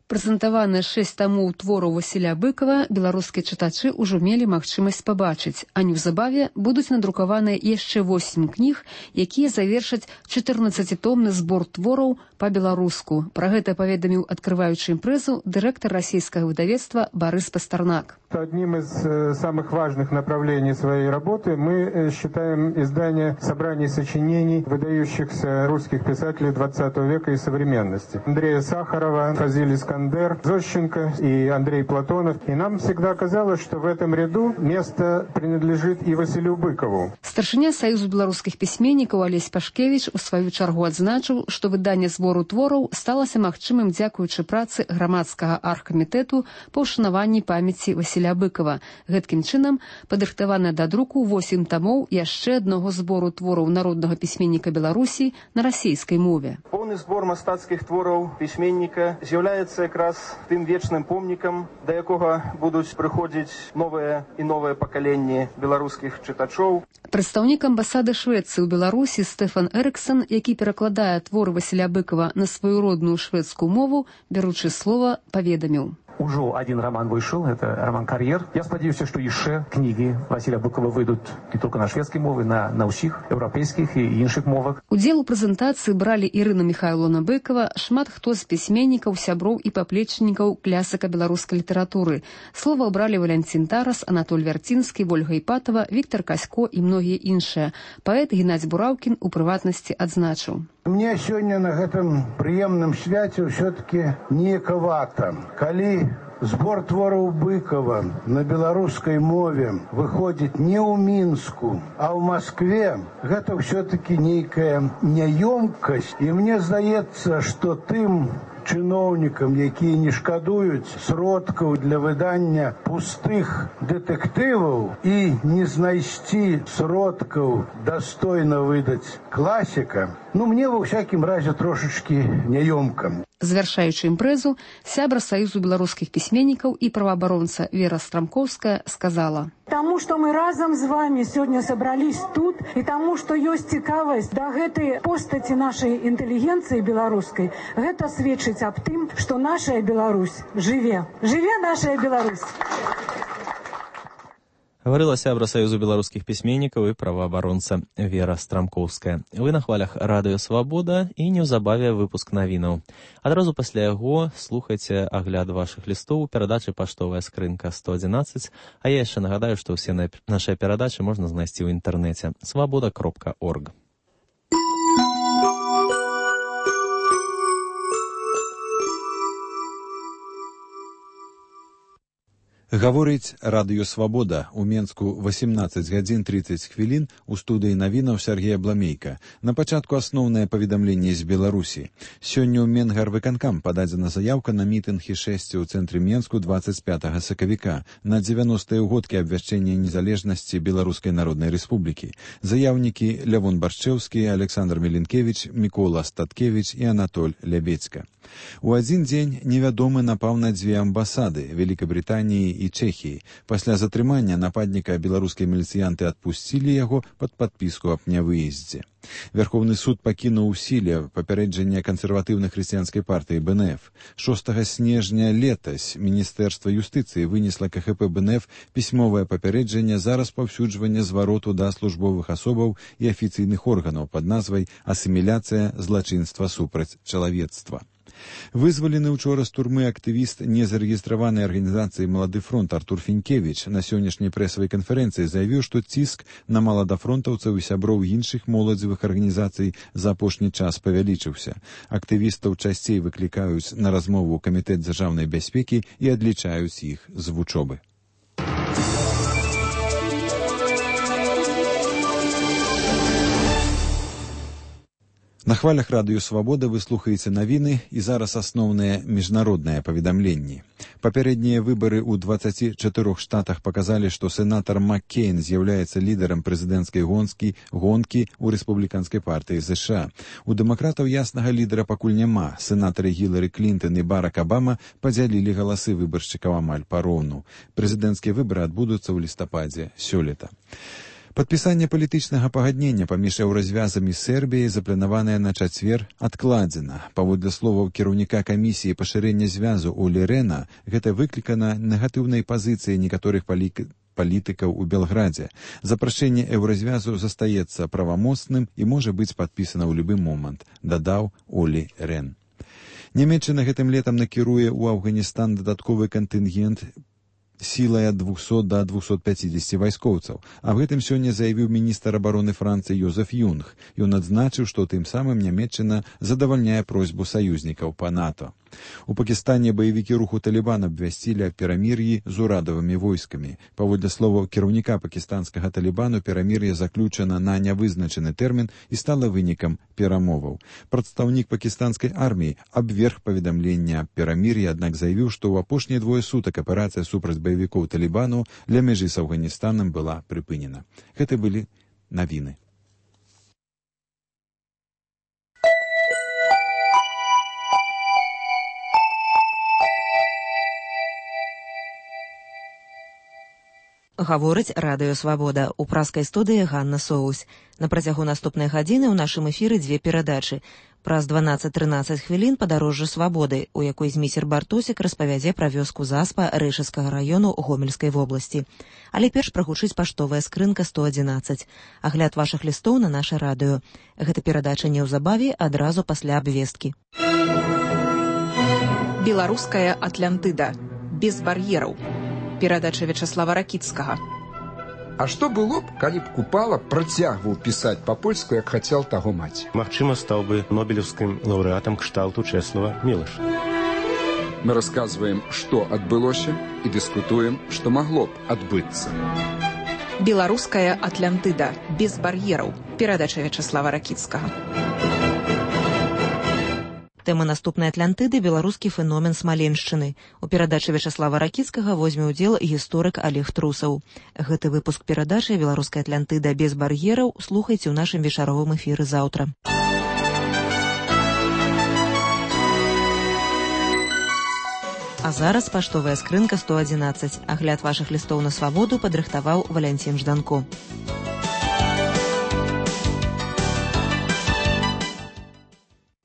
Прэзентаваныя шэсць тамоў твораў Васіля Быкова беларускія чытачы ўжо мелі магчымасць пабачыць, а неўзабаве будуць надрукаваныя яшчэ восем кніг, якія завершаць чатырнаццацітомны збор твораў па-беларуску. Пра гэта паведаміў, адкрываючы імпрэзу, дырэктар расійскага выдавецтва Барыс Пастернак. Одним из самых важных направлений своей работы мы считаем издание собраний сочинений выдающихся русских писателей двадцатого века и современности. Андрея Сахарова, Фазиль Искандер, Зощенко и Андрей Платонов. И нам всегда казалось, что в этом ряду место принадлежит и Василю Быкову. Старшыня Саюзу беларускіх пісьменнікаў Алесь Пашкевіч у сваю чаргу адзначыў, што выданне збору твораў сталася магчымым дзякуючы працы грамадскага аргкамітэту па ўшанаванні памяці Васіля Быкова. Гэткім чынам падрыхтавана да друку восем тамоў яшчэ аднаго збору твораў народнага пісьменніка Беларусі на расійскай мове. Поўны збор мастацкіх твораў пісьменніка з'яўляецца якраз тым вечным помнікам, да якога будуць прыходзіць новыя і новыя пакаленні беларускіх чытачоў. Прадстаўнік амбасады Швецыі ў Беларусі Стэфан Эрыксон, які перакладае творы Васіля Быкова на сваю родную шведскую мову, бяручы слова, паведаміў. Ужо один роман вышел, это роман «Карьер». Я спадзяюся, што яшчэ кнігі Васіля Быкова выйдуць не толькі на шведскай мове, на, на ўсіх еўрапейскіх і іншых мовах. Удзел у прэзентацыі бралі Ірына Міхайловна Быкова, шмат хто з пісьменнікаў, сяброў і паплечнікаў клясыка беларускай літаратуры. Слова бралі Валянцін Тарас, Анатоль Вярцінскі, Вольга Іпатава, Віктор Касько і многія іншыя. Паэт Геннадзь Бураўкін у прыватнасці адзначыў. Мне сёння на гэтым прыемным свяце ўсё-таки неякавата, калі збор твораў Быкова на беларускай мове выходзіць не ў Мінску, а ў Маскве, гэта ўсё-таки нейкая няёмкасць. І мне здаецца, што тым чыноўнікам, якія не шкадуюць сродкаў для выдання пустых дэтэктываў і не знайсці сродкаў дастойна выдаць класіка, ну, мне ва ўсякім разе трошачкі няёмка. Завяршаючы імпрэзу, сябра Саюзу беларускіх пісьменнікаў і праваабаронца Вера Страмкоўская сказала: «Таму, што мы разам з вами сёння сабрались тут, і таму, што ёсць цікавасць да гэтай постаці нашай інтэлігенцыі беларускай, гэта сведчыць аб тым, што наша Беларусь жыве. Жыве наша Беларусь!» Говорила сябра Саюзу беларускіх пісьменнікаў і праваабаронца Вера Страмкоўская. Вы на хвалях радыё «Свабода» і неўзабаве выпуск навінаў. Адразу пасля яго слухайце агляд вашых лістоў у перадачы «Паштовая скрынка сто адзінаццаць», а я яшчэ нагадаю, што ўсе нашыя перадачы можна знайсці ў інтэрнэце свабода кропка орг. Гаворыць радыё «Свабода». У Менску восемнадцаць гадзін тридцать хвілін, у студыі навінаў Сергея Бламейка. На пачатку асноўнае паведамленне з Беларусі. Сёння ў Менгарвыканкам пададзена заяўка на мітынг і шэсце ў цэнтры Менску двадцать пятага сакавіка на дзевяностыя ўгодкі абвяшчэння незалежнасці Беларускай Народнай Рэспублікі. Заяўнікі Лявон Баршчэўскі, Александр Меленкевич, Мікола Статкевич і Анатоль Лябедзька. У адзін дзень невядомы напаў на дзве амбасады Великабрытаніі і Чэхіі. Пасля затрымання нападніка беларускія міліцыянты адпусцілі яго пад падпіску аб нявыездзе. Верховны суд пакінуў у сіле папярэджанне кансерватыўнай хрысціянскай партыі бэ эн эф. шостага снежня летась Міністэрства юстыцыі вынесла ка ха пэ бэ эн эф пісьмовае папярэджанне за распаўсюджванне звароту да службовых асобаў і афіцыйных органаў пад назвай «Асіміляцыя злачынства супраць чалавецтва». Вызвалены учора з турмы актывіст незарэгістраванай арганізацыі «Малады фронт» Артур Фінкевіч на сённяшняй прэсавай канферэнцыі заявіў, што ціск на маладафронтаўцаў і сяброў іншых моладзевых арганізацый за апошні час павялічыўся. Актывістаў часцей выклікаюць на размову ў камітэт дзяржаўнай бяспекі і адлічаюць іх з вучобы. На хвалях радыё «Свабода» вы слухаеце навіны і зараз асноўныя міжнародныя паведамленні. Папярэднія выбары ў дваццаці чатырох штатах паказалі, што сенатар Маккейн з'яўляецца лідарам прэзідэнцкай гонкі гонкі ў рэспубліканскай партыі ЗША. У дэмакратаў яснага лідара пакуль няма. Сенатары Гілары Клінтон і Барак Абама падзялілі галасы выбаршчыкаў амаль пароўну. Прэзідэнцкія выбары адбудуцца ў лістападзе сёлета. Падпісанне палітычнага пагаднення паміж еўразвязамі Сербіяй запланаванае на чацвер адкладзена. Паводле словаў кіраўніка камісіі пашырэння звязу Олі Рэна, гэта выклікана негатыўнай пазіцыяй некаторых палітыкаў палітыкаў у Белградзе. Запрашэнне еўразвязу застаецца правамоцным і можа быць падпісана ў любы момант, дадаў Олі Рэн. Нямецчына гэтым летам накіруе ў Афганістан дадатковы кантынгент сілай ад двухсот да двухсот пяцідзесяці вайскоўцаў. Аб гэтым сёння заявіў міністр абароны Францыі Йозеф Юнг. Ён адзначыў, што тым самым Нямецчына задавальняе просьбу саюзнікаў па НАТО. У Пакістане баевікі руху Талібан абвясцілі аб перамір'і з урадавымі войскамі. Паводле словаў кіраўніка пакістанскага Талібану, перамір'е заключана на нявызначаны тэрмін і стала вынікам перамоваў. Прадстаўнік пакістанскай арміі абверг паведамленне аб перамір'і, аднак заявіў, што ў апошнія двое сутак аперацыя супраць баевікоў Талібану ля мяжы з Афганістанам была прыпынена. Гэта былі навіны. Гаворыць радыё «Свабода». У праскай студыі Ганна Соусь. На працягу наступнай гадзіны ў нашым эфіры дзве перадачы. Праз дванаццаць трынаццаць хвілін падарожжа свабоды, у якой зміцер Бартосік распавядзе пра вёску Заспа Рэшыцкага раёну Гомельскай вобласці. Але перш прагучыць паштовая скрынка сто адзінаццаць. Агляд вашых лістоў на наша радыё. Гэта перадача неўзабаве адразу пасля абвесткі. Беларуская Атлантыда. Без бар'ераў. Перадача Вячаслава Ракіцкага. А што было б, калі б Купала працягваў пісаць па-польску, як хацеў таго маць? Магчыма, стаў бы нобелеўскім лаўрэатам кшталту Чэслава Мілаша. Мы рассказываем, что отбылося, и дискутуем, что могло б отбыться. Беларуская Атлантыда. Без бар'ераў. Перадача Вячаслава Ракіцкага. Тэма наступнай Атлантыды – беларускі феномен Смаленшчыны. У перадачы Вячаслава Ракіцкага возьме ўдзел гісторык Олег Трусаў. Гэты выпуск перадачы «Беларуская Атлантыда без бар'ераў» слухайце ў нашым вечаровым эфіры заўтра. А зараз паштовая скрынка сто адзінаццаць. Агляд вашых лістоў на свабоду падрыхтаваў Валянцін Жданко.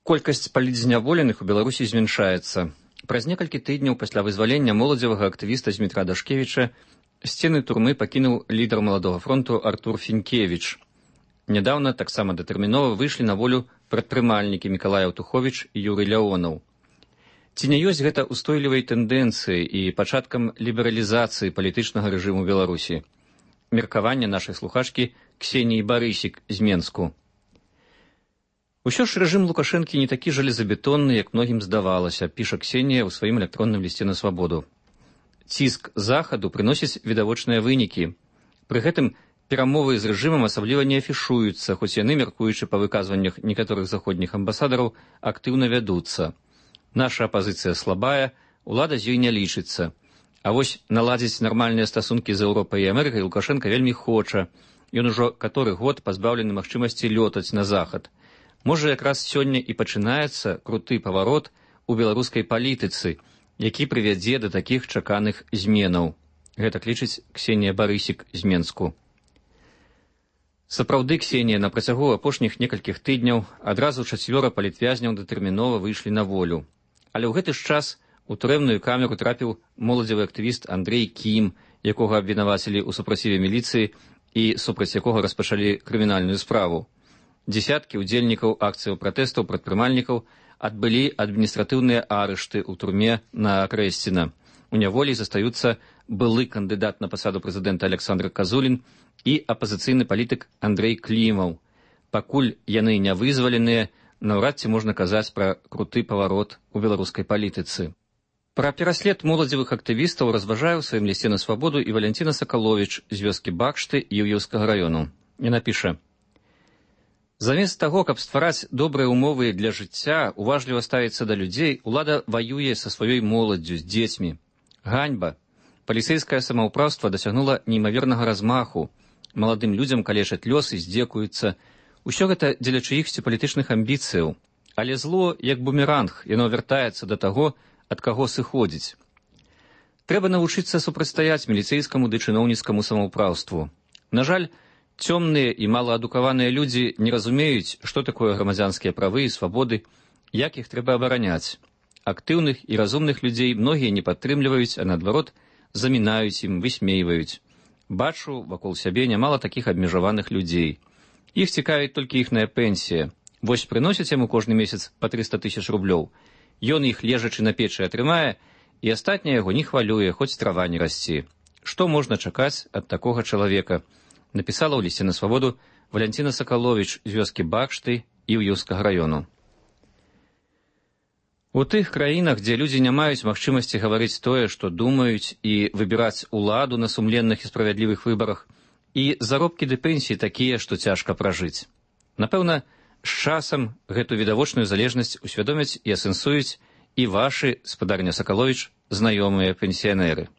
Колькасць палітзняволеных у Беларусі змяншаецца. Праз некалькі тыдняў пасля вызвалення моладзевага актывіста Змітра Дашкевіча сцены турмы пакінуў лідар Маладога фронту Артур Фінкевіч. Нядаўна таксама датэрмінова выйшлі на волю прадпрымальнікі Мікалай Аўтуховіч і Юрый Ляонаў. Ці не ёсць гэта устойлівай тэндэнцыяй і пачаткам лібералізацыі палітычнага рэжыму Беларусі? Меркаванне нашай слухачкі Ксеніі Барысік з Менску. Усё ж рэжым Лукашэнкі не такі жалезабетонны, як многім здавалася, піша Ксенія ў сваім электронным лісце на свабоду. Ціск захаду прыносіць відавочныя вынікі. Пры гэтым перамовы з рэжымам асабліва не афішуюцца, хоць яны, мяркуючы па выказваннях некаторых заходніх амбасадараў, актыўна вядуцца. Наша апазіцыя слабая, улада з ёй не лічыцца. А вось наладзіць нармальныя стасункі з Еўропай і Амерыкай Лукашенка вельмі хоча. Ён ужо каторы год пазбаўлены магчымасці лётаць на захад. Можа, якраз сёння і пачынаецца круты паварот у беларускай палітыцы, які прывядзе да такіх чаканых зменаў. Гэтак лічыць Ксенія Барысік з Менску. Сапраўды, Ксенія, на працягу апошніх некалькіх тыдняў адразу чацвёра палітвязняў датэрмінова выйшлі на волю. Але ў гэты ж час у турэмную камеру трапіў моладзевы актывіст Андрэй Кім, якога абвінавацілі ў супраціве міліцыі і супраць якога распачалі крымінальную справу. Дзесяткі ўдзельнікаў акцыяў пратэстаў прадпрымальнікаў адбылі адміністратыўныя арышты ў турме на Крэсціна. У няволі застаюцца былы кандыдат на пасаду прэзідэнта Александр Казулін і апазіцыйны палітык Андрэй Клімаў. Пакуль яны не вызваленыя, наўрад ці можна казаць пра круты паварот у беларускай палітыцы. Пра пераслед моладзевых актывістаў разважае ў сваім лісце на свабоду і Валянціна Сакаловіч з вёскі Бакшты Іўеўскага раёну. Яна піша: замест таго, каб ствараць добрыя ўмовы для жыцця, уважліва ставіцца да людзей, улада ваюе са сваёй моладдзю, з дзецьмі. Ганьба. Паліцэйскае самаўпраўства дасягнула неймавернага размаху. Маладым людзям калечаць лёс і здзекуюцца. Усё гэта дзеля чыіхсьці палітычных амбіцыяў. Але зло, як бумеранг, яно вяртаецца да таго, ад каго сыходзіць. Трэба навучыцца супрацьстаяць міліцэйскаму ды чыноўніцкаму самаўпраўству. На жаль, цёмныя і малаадукаваныя людзі не разумеюць, што такое грамадзянскія правы і свабоды, як іх трэба абараняць. Актыўных і разумных людзей многія не падтрымліваюць, а наадварот, замінаюць ім, высмейваюць. Бачу вакол сябе нямала такіх абмежаваных людзей. Іх цікавіць толькі іхная пенсія. Вось прыносяць яму кожны месяц па трыста тысяч рублёў. Ён іх лежачы на печы атрымае, і астатняе яго не хвалюе, хоць трава не расці. Што можна чакаць ад такога чалавека? Напісала ў лісце на свабоду Валянціна Сакаловіч з вёскі Бакшты Іўеўскага раёну. У тых краінах, дзе людзі не маюць магчымасці гаварыць тое, што думаюць, і выбіраць уладу на сумленных і справядлівых выбарах, і заробкі ды пенсіі такія, што цяжка пражыць. Напэўна, з часам гэту відавочную залежнасць усвядомяць і асэнсуюць і вашы, спадарня Сакаловіч, знаёмыя пенсіянеры.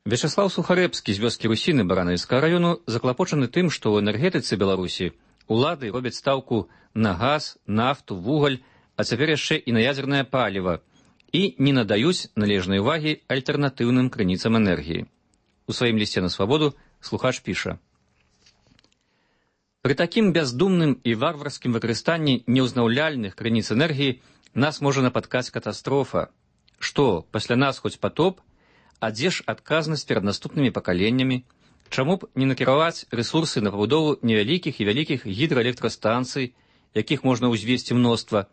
Вячаслаў Сухарэбскі з вёскі Русіны Баранавіцкага раёну заклапочаны тым, што ў энергетыцы Беларусі улады робяць стаўку на газ, нафту, вугаль, а цяпер яшчэ і на ядзернае паліва, і не надаюць належнай увагі альтэрнатыўным крыніцам энергіі. У сваім лісце на свабоду слухач піша: пры такім бяздумным і варварскім выкарыстанні неўзнаўляльных крыніц энергіі нас можа напаткаць катастрофа. Што, пасля нас хоць патоп? А дзе ж адказнасць перад наступнымі пакаленнямі? Чаму б не накіраваць рэсурсы на пабудову невялікіх і вялікіх гідраэлектрастанцый, якіх можна ўзвесці мноства,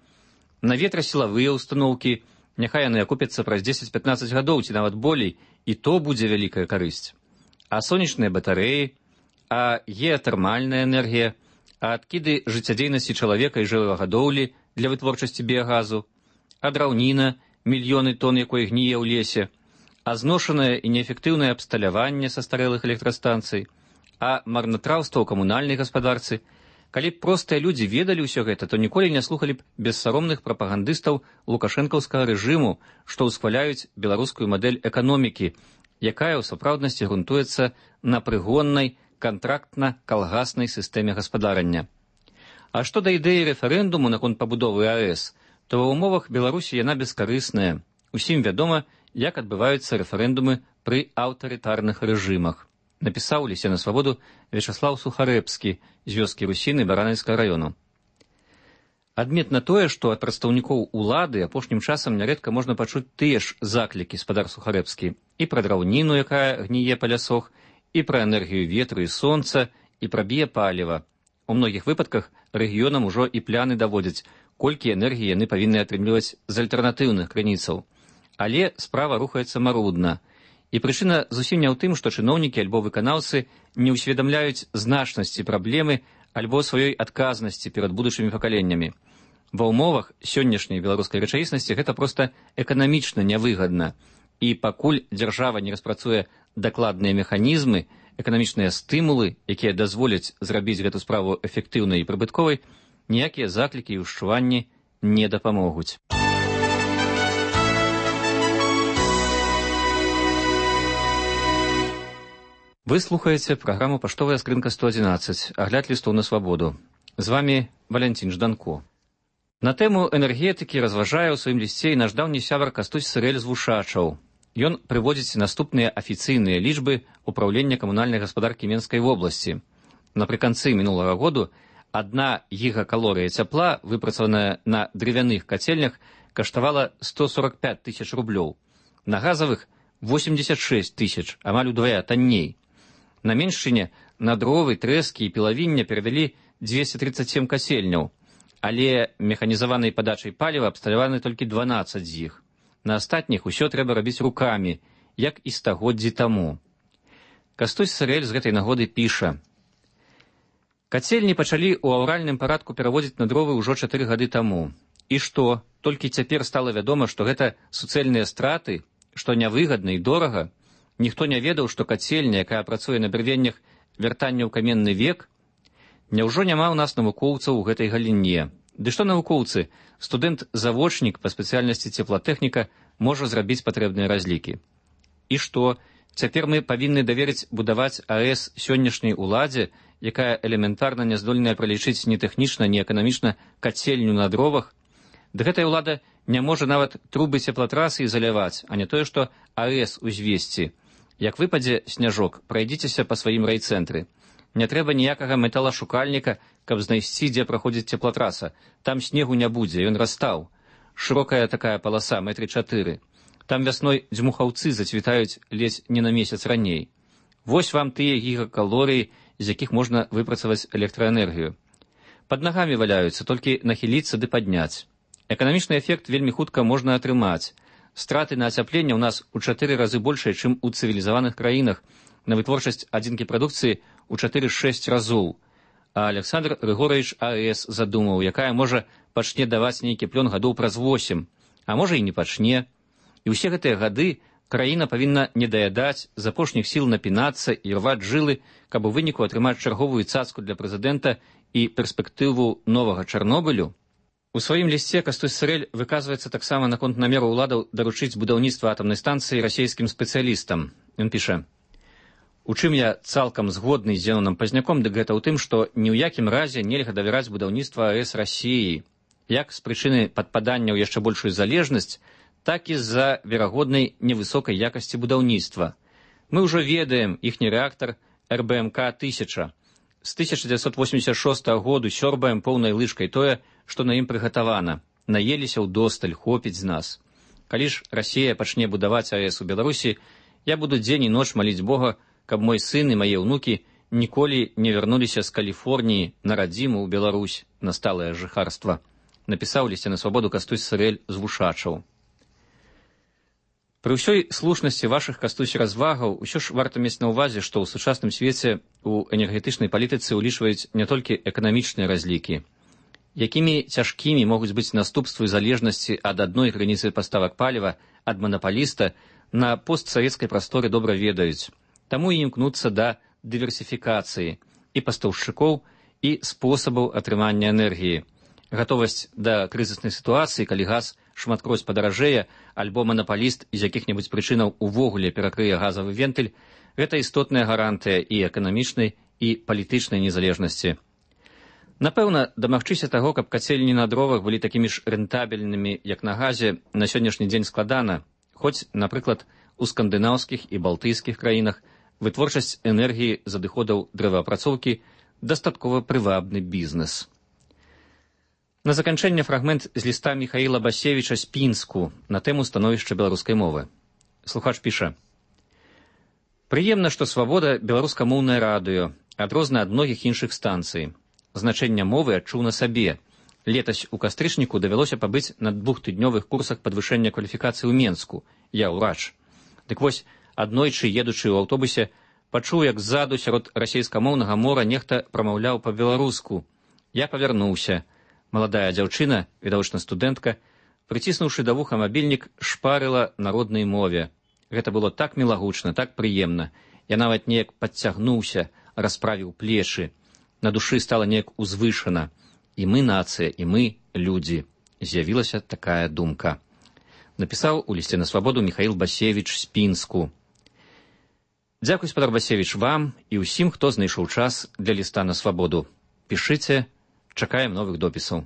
на ветрасілавыя ўстаноўкі, няхай яны акупяцца праз дзесяць-пятнаццаць гадоў ці нават болей, і то будзе вялікая карысць. А сонечныя батарэі, а геатэрмальная энергія, а адкіды жыццядзейнасці чалавека і жывёлагадоўлі для вытворчасці біягазу, а драўніна, мільёны тонн якой гніе ў лесе, а зношанае і неэфектыўнае абсталяванне састарэлых электрастанцый, а марнатраўства ў камунальнай гаспадарцы. Калі б простыя людзі ведалі ўсё гэта, то ніколі не слухалі б бессаромных прапагандыстаў лукашэнкаўскага рэжыму, што ўсхваляюць беларускую мадэль эканомікі, якая ў сапраўднасці грунтуецца на прыгоннай кантрактна-калгаснай сістэме гаспадарання. А што да ідэі рэферэндуму наконт пабудовы АЭС, то ва ўмовах Беларусі яна бескарысная. Усім вядома, як адбываюцца рэферэндумы пры аўтарытарных рэжымах. Напісаў у лісце на свабоду Вячаслаў Сухарэбскі з вёскі Русіны Баранавіцкага раёну. Адметна тое, што ад прадстаўнікоў улады апошнім часам нярэдка можна пачуць тыя ж заклікі, спадар Сухарэбскі, і пра драўніну, якая гніе па лясох, і пра энергію ветру і сонца, і пра біяпаліва. У многіх выпадках рэгіёнам ужо і пляны даводзяць, колькі энергіі яны павінны атрымліваць з альтэрнатыўных крыніцаў. Але справа рухаецца марудна. І прычына зусім не ў тым, што чыноўнікі альбо выканаўцы не ўсведамляюць значнасці праблемы альбо сваёй адказнасці перад будучымі пакаленнямі. Ва ўмовах сённяшняй беларускай рэчаіснасці гэта проста эканамічна нявыгадна. І пакуль дзяржава не распрацуе дакладныя механізмы, эканамічныя стымулы, якія дазволяць зрабіць гэту справу эфектыўнай і прыбытковай, ніякія заклікі і ўшчуванні не дапамогуць. Вы слухаеце праграму «Паштовая скрынка сто адзінаццаць», агляд лістоў на свабоду. З вамі Валянцін Жданко. На тэму энергетыкі разважае ў сваім лісце і наш даўні сябар Кастусь Сырэль з Вушачаў. Ён прыводзіць наступныя афіцыйныя лічбы ўпраўлення камунальнай гаспадаркі Менскай вобласці. Напрыканцы мінулага году адна гігакалорыя цяпла, выпрацаваная на дрывяных кацельнях, каштавала сто сорок пять тысяч рублёў. На газавых восемьдесят шесть тысяч, амаль удвая танней. На Меншчыне на дровы, трэскі і пілавіння перавялі двести тридцать семь касельняў, але механізаванай падачай паліва абсталяваны толькі дванаццаць з іх. На астатніх усё трэба рабіць рукамі, як і стагоддзі таму. Кастусь Сырэль з гэтай нагоды піша: «Кацельні пачалі ў аўральным парадку пераводзіць на дровы ўжо чатыры гады таму. І што, толькі цяпер стала вядома, што гэта суцэльныя страты, што нявыгадна і дорага? Ніхто не ведаў, што кацельня, якая працуе на дрывеннях, вяртанне ў каменны век? Няўжо няма ў нас навукоўцаў у гэтай галіне? Ды што навукоўцы? Студэнт-завочнік па спецыяльнасці цеплатэхніка можа зрабіць патрэбныя разлікі. І што, цяпер мы павінны даверыць будаваць АЭС сённяшняй уладзе, якая элементарна не здольная пралічыць ні тэхнічна, ні эканамічна кацельню на дровах? Ды гэтая ўлада не можа нават трубы цеплатрасы ізаляваць, а не тое, што АЭС узвесці. Як выпадзе сняжок, прайдзіцеся па сваім райцэнтры. Не трэба ніякага металашукальніка, каб знайсці, дзе праходзіць цеплатраса. Там снегу не будзе, ён растаў. Шырокая такая паласа, метры чатыры. Там вясной дзьмухаўцы зацвітаюць ледзь не на месяц раней. Вось вам тыя гігакалорыі, з якіх можна выпрацаваць электраэнергію. Пад нагамі валяюцца, толькі нахіліцца ды падняць. Эканамічны эфект вельмі хутка можна атрымаць. Страты на ацяпленне ў нас у чатыры разы большыя, чым у цывілізаваных краінах, на вытворчасць адзінкі прадукцыі у чатыры-шэсць разоў. А Александр Рыгорович АЭС задумаў, якая можа пачне даваць нейкі плён гадоў праз восем, а можа і не пачне. І ўсе гэтыя гады краіна павінна не даядаць, з апошніх сіл напінацца і рваць жылы, каб у выніку атрымаць чарговую цацку для прэзідэнта і перспектыву новага Чарнобылю. У сваім лісце Кастусь Сырэль выказваецца таксама наконт намеру ўладаў даручыць будаўніцтва атамнай станцыі расійскім спецыялістам. Ён піша: «У чым я цалкам згодны з Зенонам Пазняком, дык гэта ў тым, што ні ў якім разе нельга давяраць будаўніцтва АЭС Расіі, як з прычыны падпадання ў яшчэ большую залежнасць, так і з-за верагоднай невысокай якасці будаўніцтва. Мы ўжо ведаем іхні рэактар эр бэ эм ка тысяча. З тысяча дзевяцьсот восемьдесят шостага году сёрбаем поўнай лыжкай тое, што на ім прыгатавана. Наеліся ўдосталь, хопіць з нас. Калі ж Расія пачне будаваць АЭС у Беларусі, я буду дзень і ноч маліць Бога, каб мой сын і мае ўнукі ніколі не вярнуліся з Каліфорніі на радзіму ў Беларусь, на сталае жыхарства», напісаў лісце на свабоду Кастусь Сырэль з Вушачаў. Пры ўсёй слушнасці вашых, Кастусь, развагаў, усё ж варта мець на ўвазе, што ў сучасным свеце ў энергетычнай палітыцы ўлічваюць не толькі эканамічныя разлікі. Якімі цяжкімі могуць быць наступствы залежнасці ад адной граніцы паставак паліва ад манапаліста, на постсавецкай прасторы добра ведаюць. Таму і імкнуцца да дыверсіфікацыі і пастаўшчыкоў, і спосабаў атрымання энергіі. Гатовасць да крызіснай сітуацыі, калі газ шматкроць падаражэе, альбо манапаліст з якіх-небудзь прычынаў увогуле перакрые газавы вентыль, гэта істотная гарантыя і эканамічнай, і палітычнай незалежнасці. Напэўна, дамагчыся таго, каб кацельні на дровах былі такімі ж рэнтабельнымі, як на газе, на сённяшні дзень складана, хоць, напрыклад, у скандынаўскіх і балтыйскіх краінах вытворчасць энергіі з адыходаў дрэваапрацоўкі дастаткова прывабны бізнес. На заканчэнне фрагмент з ліста Міхаіла Басевіча з Пінску на тэму становішча беларускай мовы. Слухач піша: «Прыемна, што свабода беларускамоўнае радыё, адрозна ад многіх іншых станцый. Значэнне мовы адчуў на сабе. Летась у кастрычніку давялося пабыць на двухтыднёвых курсах падвышэння кваліфікацыі ў Менску. Я ўрач. Дык вось, аднойчы, едучы ў аўтобусе, пачуў, як ззаду сярод расейскамоўнага мора нехта прамаўляў па-беларуску. Я павярнуўся. Маладая дзяўчына, відавочна студэнтка, прыціснуўшы да вуха мабільнік, шпарыла на роднай мове. Гэта было так мілагучна, так прыемна. Я нават неяк падцягнуўся, расправіў плечы. На душы стала неяк узвышана. І мы нацыя, і мы людзі. З'явілася такая думка. Напісаў у лісце на свабоду Міхаіл Басевіч з Пінску. Дзякуй, спадар Басевіч, вам і ўсім, хто знайшоў час для ліста на свабоду. Пішыце, чакаем новых допісаў.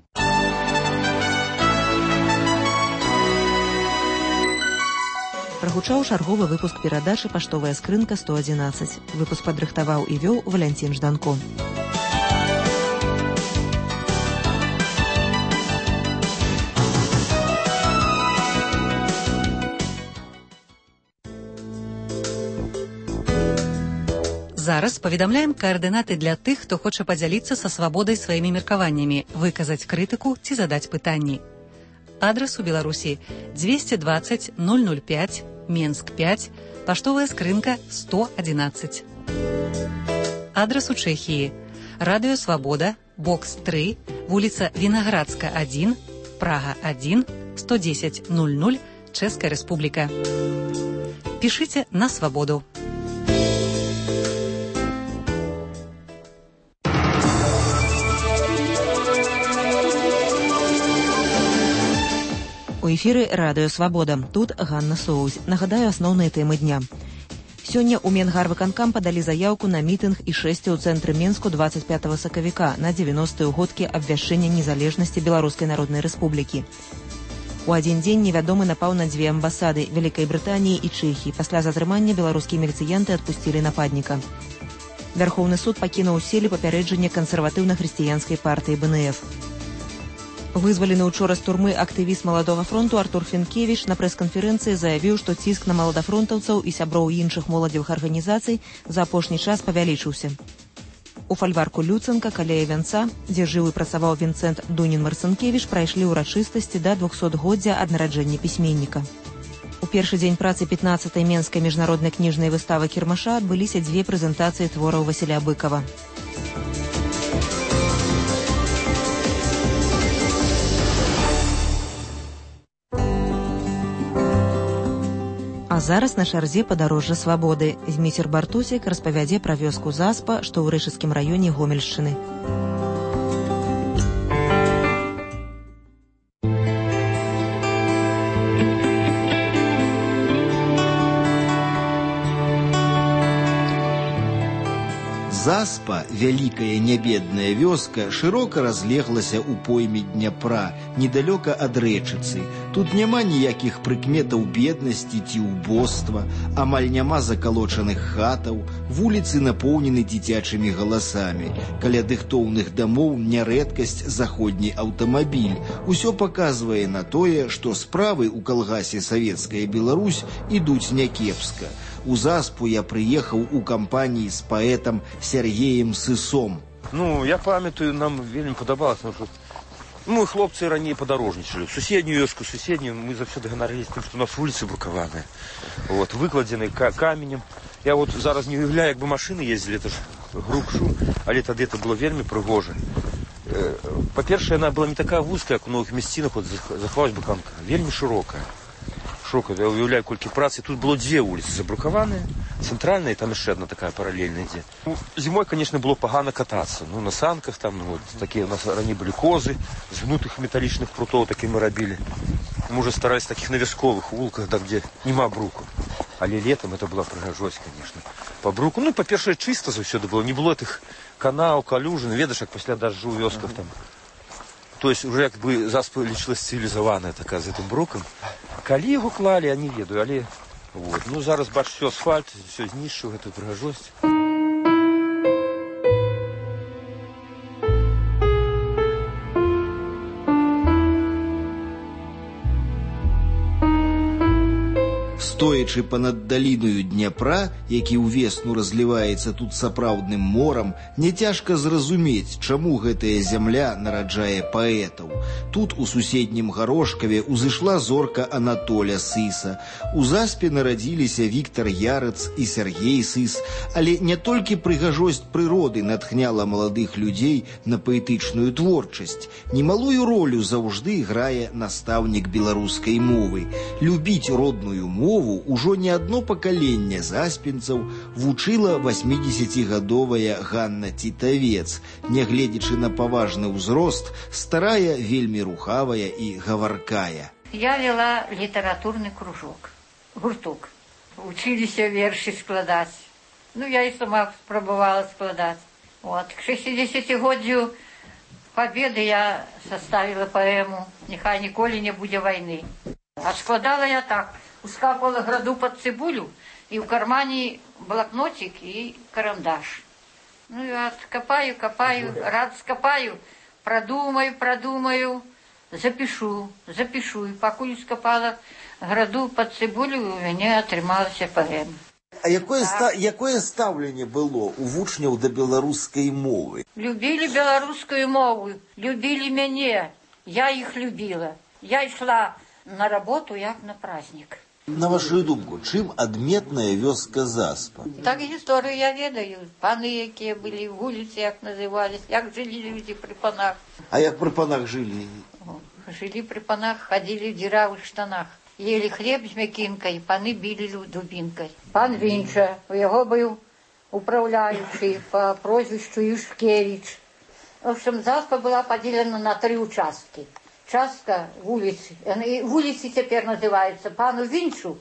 Прагучаў чарговы выпуск перадачы «Паштовая скрынка сто адзінаццаць». Выпуск падрыхтаваў і вёў Валянцін Жданко. Зараз паведамляем каардынаты для тых, хто хоча падзяліцца са свабодай сваімі меркаваннямі, выказаць крытыку ці задаць пытанні. Адрас у Беларусі двести двадцать ноль ноль пять, Менск пять, паштовая скрынка сто адзінаццаць. Адрас у Чэхіі Радыё Свабода, бокс три, вуліца Вінаградска один, Прага один, сто десять ноль ноль, Чэшская Рэспубліка. Пішыце на свабоду. У эфіры радыё Свабода. Тут Ганна Соусь. Нагадаю асноўныя тэмы дня. Сёння ў Менгарвыканкам падалі заяўку на мітынг і шэсце ў цэнтры Менску двадцать пятого сакавіка на дзевяностыя ўгодкі абвяшчэння незалежнасці Беларускай Народнай Рэспублікі. У адзін дзень невядомы напаў на дзве амбасады Вялікай Брытаніі і Чэхіі. Пасля затрымання беларускія міліцыянты адпусцілі нападніка. Вярхоўны суд пакінуў у сіле папярэджанне кансерватыўна-хрысціянскай партыі бэ эн эф. Вызвалены учора з турмы актывіст Маладога фронту Артур Фінкевіч на прэс-канферэнцыі заявіў, што ціск на маладафронтаўцаў і сяброў іншых моладзевых арганізацый за апошні час павялічыўся. У фальварку Люценка, каля вянца, дзе жыў і працаваў Вінцэнт Дунін-Марцынкевіч, прайшлі ўрачыстасці да двухсотгоддзя ад нараджэння пісьменніка. У першы дзень працы пятнаццатай Менскай міжнароднай кніжнай выставы Кірмаша адбыліся дзве прэзентацыі твораў Васіля Быкава. А зараз на чарзе падарожжа свабоды. Зміцер Бартусік распавядзе пра вёску Заспа, што ў Рэшыцкім раёне Гомельшчыны. Заспа, вялікая нябедная вёска, шырока разлеглася ў пойме Дняпра, недалёка ад рэчыцы. Тут няма ніякіх прыкметаў беднасці ці ўбоства, амаль няма закалочаных хатаў, вуліцы напоўнены дзіцячымі галасамі. Каля дыхтоўных дамоў нярэдкасць заходні аўтамабіль. Усё паказвае на тое, што справы ў калгасе «Савецкая Беларусь» ідуць някепска. У Заспу я прыехаў у кампаніі з паэтам Сергеем Сысом. Ну, я памятаю, нам вельмі падабалася. Мы, хлопцы, раней падарожнічалі. Суседнюю вёску, суседнюю, мы заўсёды ганарыліся тым, што у нас вуліцы брукаваныя. Вот, выкладзены каменем. Я вот зараз не уяўляю, як бы машыны ездзілі, это ж грук-шум, але тады это было вельмі прыгожа. Па-першае, яна была не такая вузкая, як у многіх мясцінах, от захавалась баканка, вельмі шырокая. Широкая, я уявляю, колькі працы. Тут было две вуліцы забрукаваныя, цэнтральная, і там яшчэ одна такая паралельная ідзе. Ну, зімой, конечно, было пагана катацца. Ну, на санках там, ну, вот, такія у нас раней былі козы, з гнутых металічных прутоў такі мы рабілі. Мы уже старались в таких навязковых вулках, да, где нема бруку. Але летом это была прыгажосць, конечно. По бруку, ну, па-першае, чыста заўсёды было. Не было тых канаў, калюжын, ведаеш, як пасля дажджу ў вёсках там. То есть уже как бы заспа лічылась цивілізаваная такая з гэтым брукам. Калі яго клалі, я не ведаю, але вот. Ну, зараз бач, все асфальт, все знішчыў гэтую прыгажосць. Стоячы панад даліною Дняпра, які ўвесну разліваецца тут сапраўдным морам, няцяжка зразумець, чаму гэтая зямля нараджае паэтаў. Тут, у суседнім Гарошкаве, узышла зорка Анатоля Сыса. У Заспе нарадзіліся Віктар Ярыц і Сергей Сыс. Але не толькі прыгажосць прыроды натхняла маладых людзей на паэтычную творчасць. Немалую ролю заўжды грае настаўнік беларускай мовы. Любіць родную мову ужо не одно пакаленне заспенцаў вучыла васьмідзесяцігадовая Ганна Тітавец. Нягледзячы на паважны ўзрост, старая, вельмі рухавая і гаваркая. Я вела літаратурны кружок, гурток. Учыліся вершы складаць. Ну, я і сама спрабавала складаць. Вот. К шэсцідзесяцігоддзю Победы я составила поэму «Нехай ніколі не будзе вайны». А складала я так. Ускапала граду под цибулю, и в кармане блокнотик и карандаш. Ну, я копаю, копаю, рад скопаю, продумаю, продумаю, запишу, запишу. И покуль скопала граду под цибулю, у меня атрымалася поэма. А якое, ста, якое стаўленне было у вучняў да беларускай мовы? Любілі беларускую мову, любілі мяне, я іх любіла. Я ішла на работу, як на праздник. На вашу думку, чым адметная вёска Заспа? Так гісторыю я ведаю. Паны, якія былі, вуліцы, як назывались, як жылі людзі пры панах. А як пры панах жылі? Жылі пры панах, хадзілі в дзіравых штанах. Ели хлеб з мякінкай, паны білі дубінкай. Пан Вінча, у яго быў управляючы по прозвищу Юшкевич. В общем, Заспа была поділена на три участки. Частка вулицы, вулицы теперь называются, пану Винчу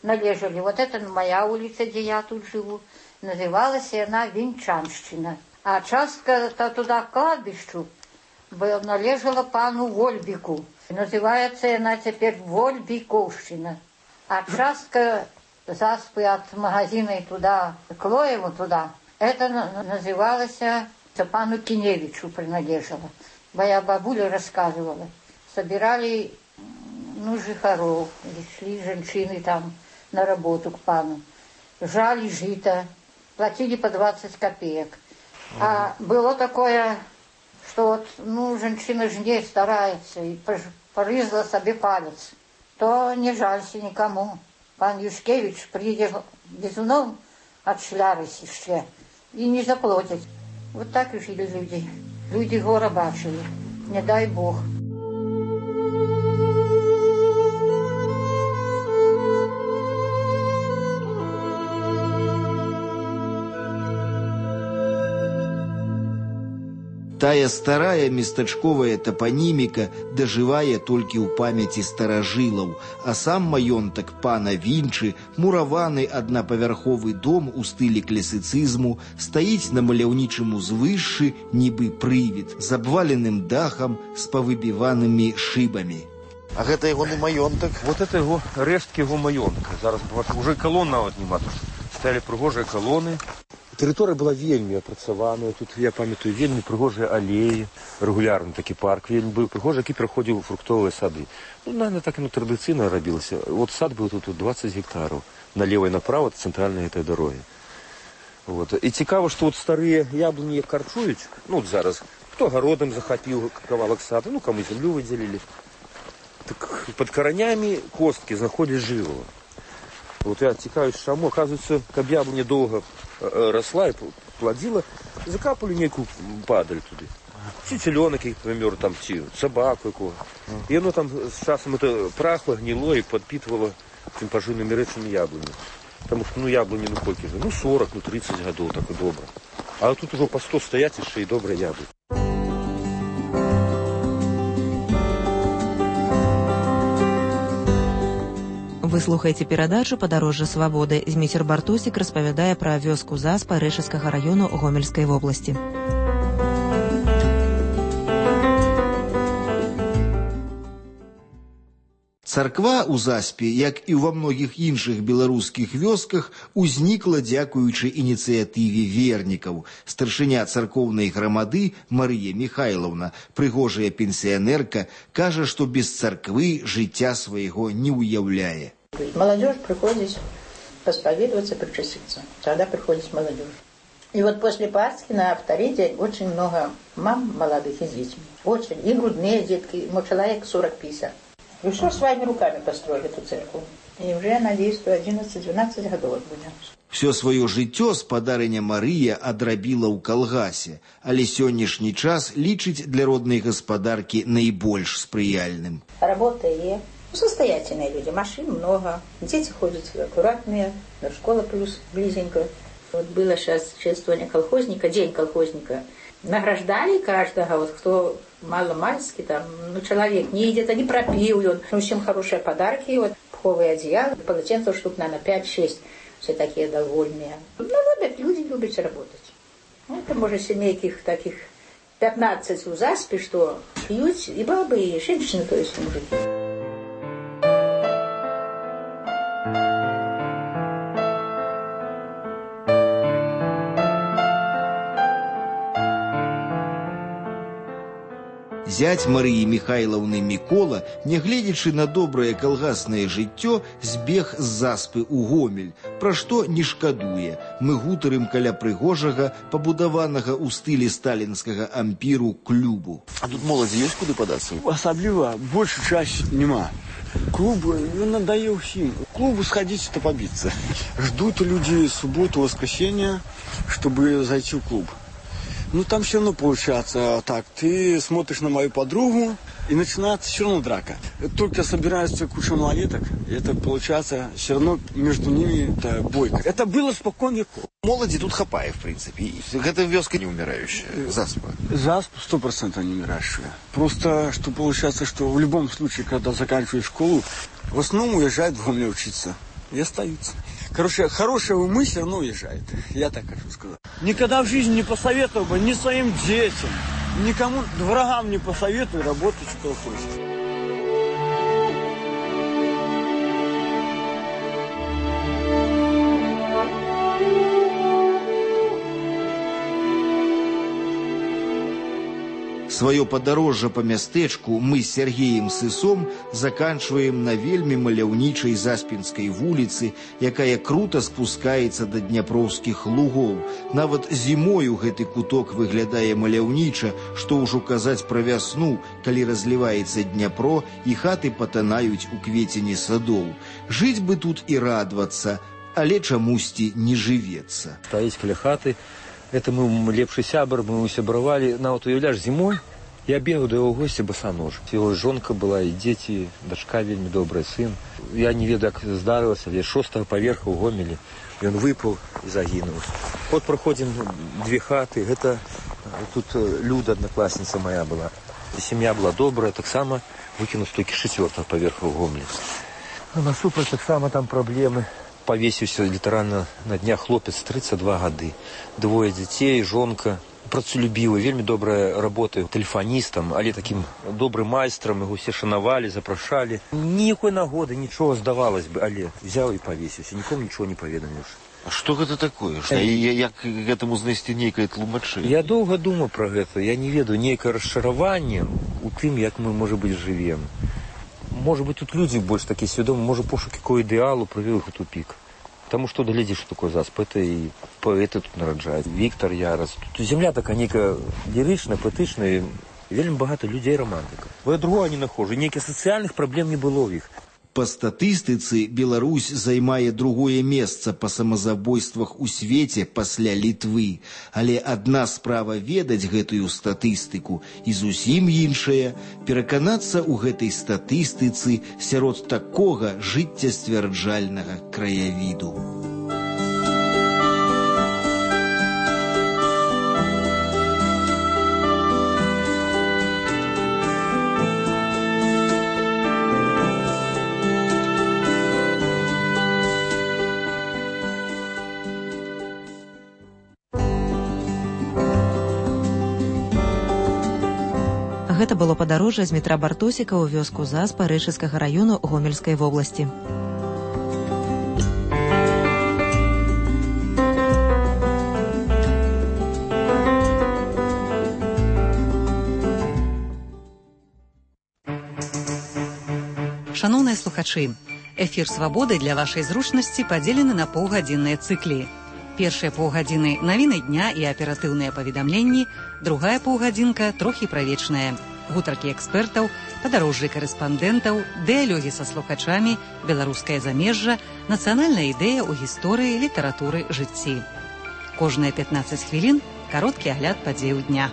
належали, вот это моя улица, где я тут живу, называлась она Винчанщина. А частка -то туда к кладбищу належала пану Вольбику, называется она теперь Вольбиковщина. А частка Заспы от магазина и туда, к Лоеву туда, это называлось пану Киневичу принадлежало. Моя бабуля рассказывала. Собирали, ну, жихаров, шли женщины там на работу к пану. Жали жито, платили по двадцать копеек. А было такое, что вот, ну, женщина жне старается и порызла себе палец, то не жалься никому. Пан Юшкевич приедет безуном от шлярось еще и не заплатит. Вот так и жили люди. Люди гора бачили. Не дай Бог. Тая старая местачковая топоніміка дажывае толькі ў памяці старажылаў, а сам маёнтак пана Вінчы, мураваны аднапавярховы дом у стылі класіцызму, стаіць на маляўнічым узвышшы, нібы прывід, з абваленым дахам, з павыбіванымі шыбамі. А гэта ягоны маёнтак? Вот это его, рэшткі яго маёнтка. Зараз уже колон нават няма, тут сталі прыгожыя колоны. Тэрыторыя была вельмі апрацаваная, тут, я памятаю, вельмі прыгожыя алеі, рэгулярны такі парк вельмі быў прыгожы, які пераходзіў у фруктовыя сады. Ну, наверное, так і традыцыйна рабілася. Вот сад быў тут двадцать гектараў, налево і направо ад цэнтральнай гэтай дарогі. Вот. І цікава, што вот старыя яблыні карчуюць, ну, вот зараз, хто гародам захапіў кавалак сада, ну, каму зямлю выдзелілі. Так пад каранямі косткі знаходзяць жывого. Вот я цікавіць, чаму, оказывается, каб яблыня доўга росла и плодила, закапали некую падаль туды. ці цыленок, які памёр, там, ці собаку якого. І воно там з часом это прахло, гнило і підпитувало цим поживними речами яблуні. Тому що, ну, яблуні, ну, колькі же? Ну, сорок, ну, тридцать годов, так і добре. А тут уже по сто стоять, і ще й добре яблуні. Вы слухаеце перадачу «Падарожжа свабоды». Зміцер Бартосік распавядае пра вёску Заспа Рэшыцкага раёну Гомельскай вобласці. Царква ў Заспе, як і ва многіх іншых беларускіх вёсках, узнікла дзякуючы ініцыятыве вернікаў. Старшыня царкоўнай грамады Марыя Михайлаўна, прыгожая пенсіянерка, кажа, што без царквы жыцця свайго не ўяўляе. Молодежь приходит посповедоваться, причаститься. Тогда приходит молодежь. И вот после Пасхи на второй день очень много мам молодых и с детьми. Очень. И грудные детки. Ну, человек сорок-пятьдесят. И все своими руками построили эту церковь. И уже, надеюсь, что одиннадцать-двенадцать годов будем. Все свое жыццё спадарыня Марыя адрабіла ў калгасе, але сённяшні час лічыць для роднай гаспадаркі найбольш спрыяльным. Работа есть. Состоятельные люди, машин много, дети ходят аккуратные, до школы плюс близенько. Вот было сейчас чествование колхозника, день колхозника. Награждали каждого, вот кто мало-мальски, там, ну, человек не идет, не пропил, он, ну, всем хорошие подарки, вот, пуховые одеяла, полотенцев штук, наверное, пять-шесть, все такие довольные. Ну, любят, люди любят работать. Ну, это, может, семейки таких пятнадцать у Заспи, что пьют и бабы, и женщины, то есть мужики. Зять Марыі Михайлаўны Мікола, нягледзячы на добрае калгаснае жыццё, збег з Заспы ў Гомель, пра што не шкадуе. Мы гутарым каля прыгожага, пабудаванага ў стылі сталінскага ампіру клубу. А тут моладзі ёсць куды падацца? Асабліва, большая часть нема. Клубы, он надоел всем. Клубу сходить-то побиться. Ждут люди субботу, воскресенье, чтобы зайти в клуб. Ну, там все равно получается так. Ты смотришь на мою подругу, и начинается все равно драка. Только собираются куча малолеток, и это получается все равно между ними это бойка. Это было спокон веков. Моладзі тут хапае, в принципе. Гэта вёска не умирающая, Заспа. Заспа сто процентов не умирающая. Просто, что получается, что в любом случае, когда заканчиваешь школу, в основном уезжают в Гомель учиться. И остаются. Короче, хорошие умы все равно уезжают. Я так хочу сказать. Никогда в жизни не посоветовал бы ни своим детям, никому, врагам не посоветую работать в колхозе. Свое падарожжа па мястэчку мы з Сергеем Сысом заканчваем на вельмі маляўнічай Заспінскай вуліцы, якая крута спускаецца да дняпроўскіх лугоў. Нават зімою гэты куток выглядае маляўніча, што ўжо казаць пра вясну, калі разліваецца Дняпро і хаты патанаюць у квецені садоў. Жыць бы тут і радавацца, але чамусьці не жывецца. Стаіць каля хаты. Это мы лепшы сябр, мы усябравалі. Нават уяўляш, зімой я бегаў да яго госці басанож. Яго жонка была, і дзеці, дачка вельмі добрая, сын. Я не ведаю, як здарылася, але шостага паверха ў Гомелі. Ён выпаў і загінуў. От праходзім две хаты. Гэта тут Люда, аднакласніца моя была. І сям'я была добрая, таксама выкінуць толькі чацвёртага паверха ў Гомелі. А насупраць таксама там праблемы. Повесіўся літаральна на днях хлопец, тридцать два гады. Двое дзяцей, жонка, працалюбівы, вельмі добрая работа тэлефаністам, але такім добрым майстрам, яго все шанавалі, запрашалі. Ніякой нагоды, нічого, здавалось бы, але взяў і повесіўся, нікому нічого не паведаміўшы. А што гэта такое? Што, як гэтаму знайсці нейкае тлумачэнне? Я доўга думаў пра гэта, я не ведаю, нейкае расчараванне у тым, як мы, можа быць, жывем. Может быть, тут люди больше такие сведомые, может, пошук какого идеалу привел их в тупик. Потому что доглядишь, что такое Засп, это и поэты тут нараджают. Виктор Ярос. Тут земля такая некая лиричная, поэтичная, и вельми багато людей романтика. Я другого не нахожу, неких социальных проблем не было у них. Па статыстыцы Беларусь займае другое месца па самазабойствах у свеце пасля Літвы. Але адна справа ведаць гэтую статыстыку і зусім іншая пераканацца ў гэтай статыстыцы сярод такога жыццясцвярджальнага краявіду. Гэта было падарожжа з метра Бартосіка ў вёску Заспа Рэчыцкага раёну Гомельскай вобласці. Шаноўныя слухачы, эфір «Свабоды» для вашай зручнасці падзелены на паўгадзінныя цыклі. Першыя паўгадзіны навіны дня і аператыўныя паведамленні, другая паўгадзінка трохі правечная. Гутаркі экспертаў, падарожжы карэспандэнтаў, дыялогі са слухачамі, беларускае замежжа, нацыянальная ідэя ў гісторыі, літаратуры, жыцці. Кожныя пятнаццаць хвілін кароткі агляд падзеяў дня.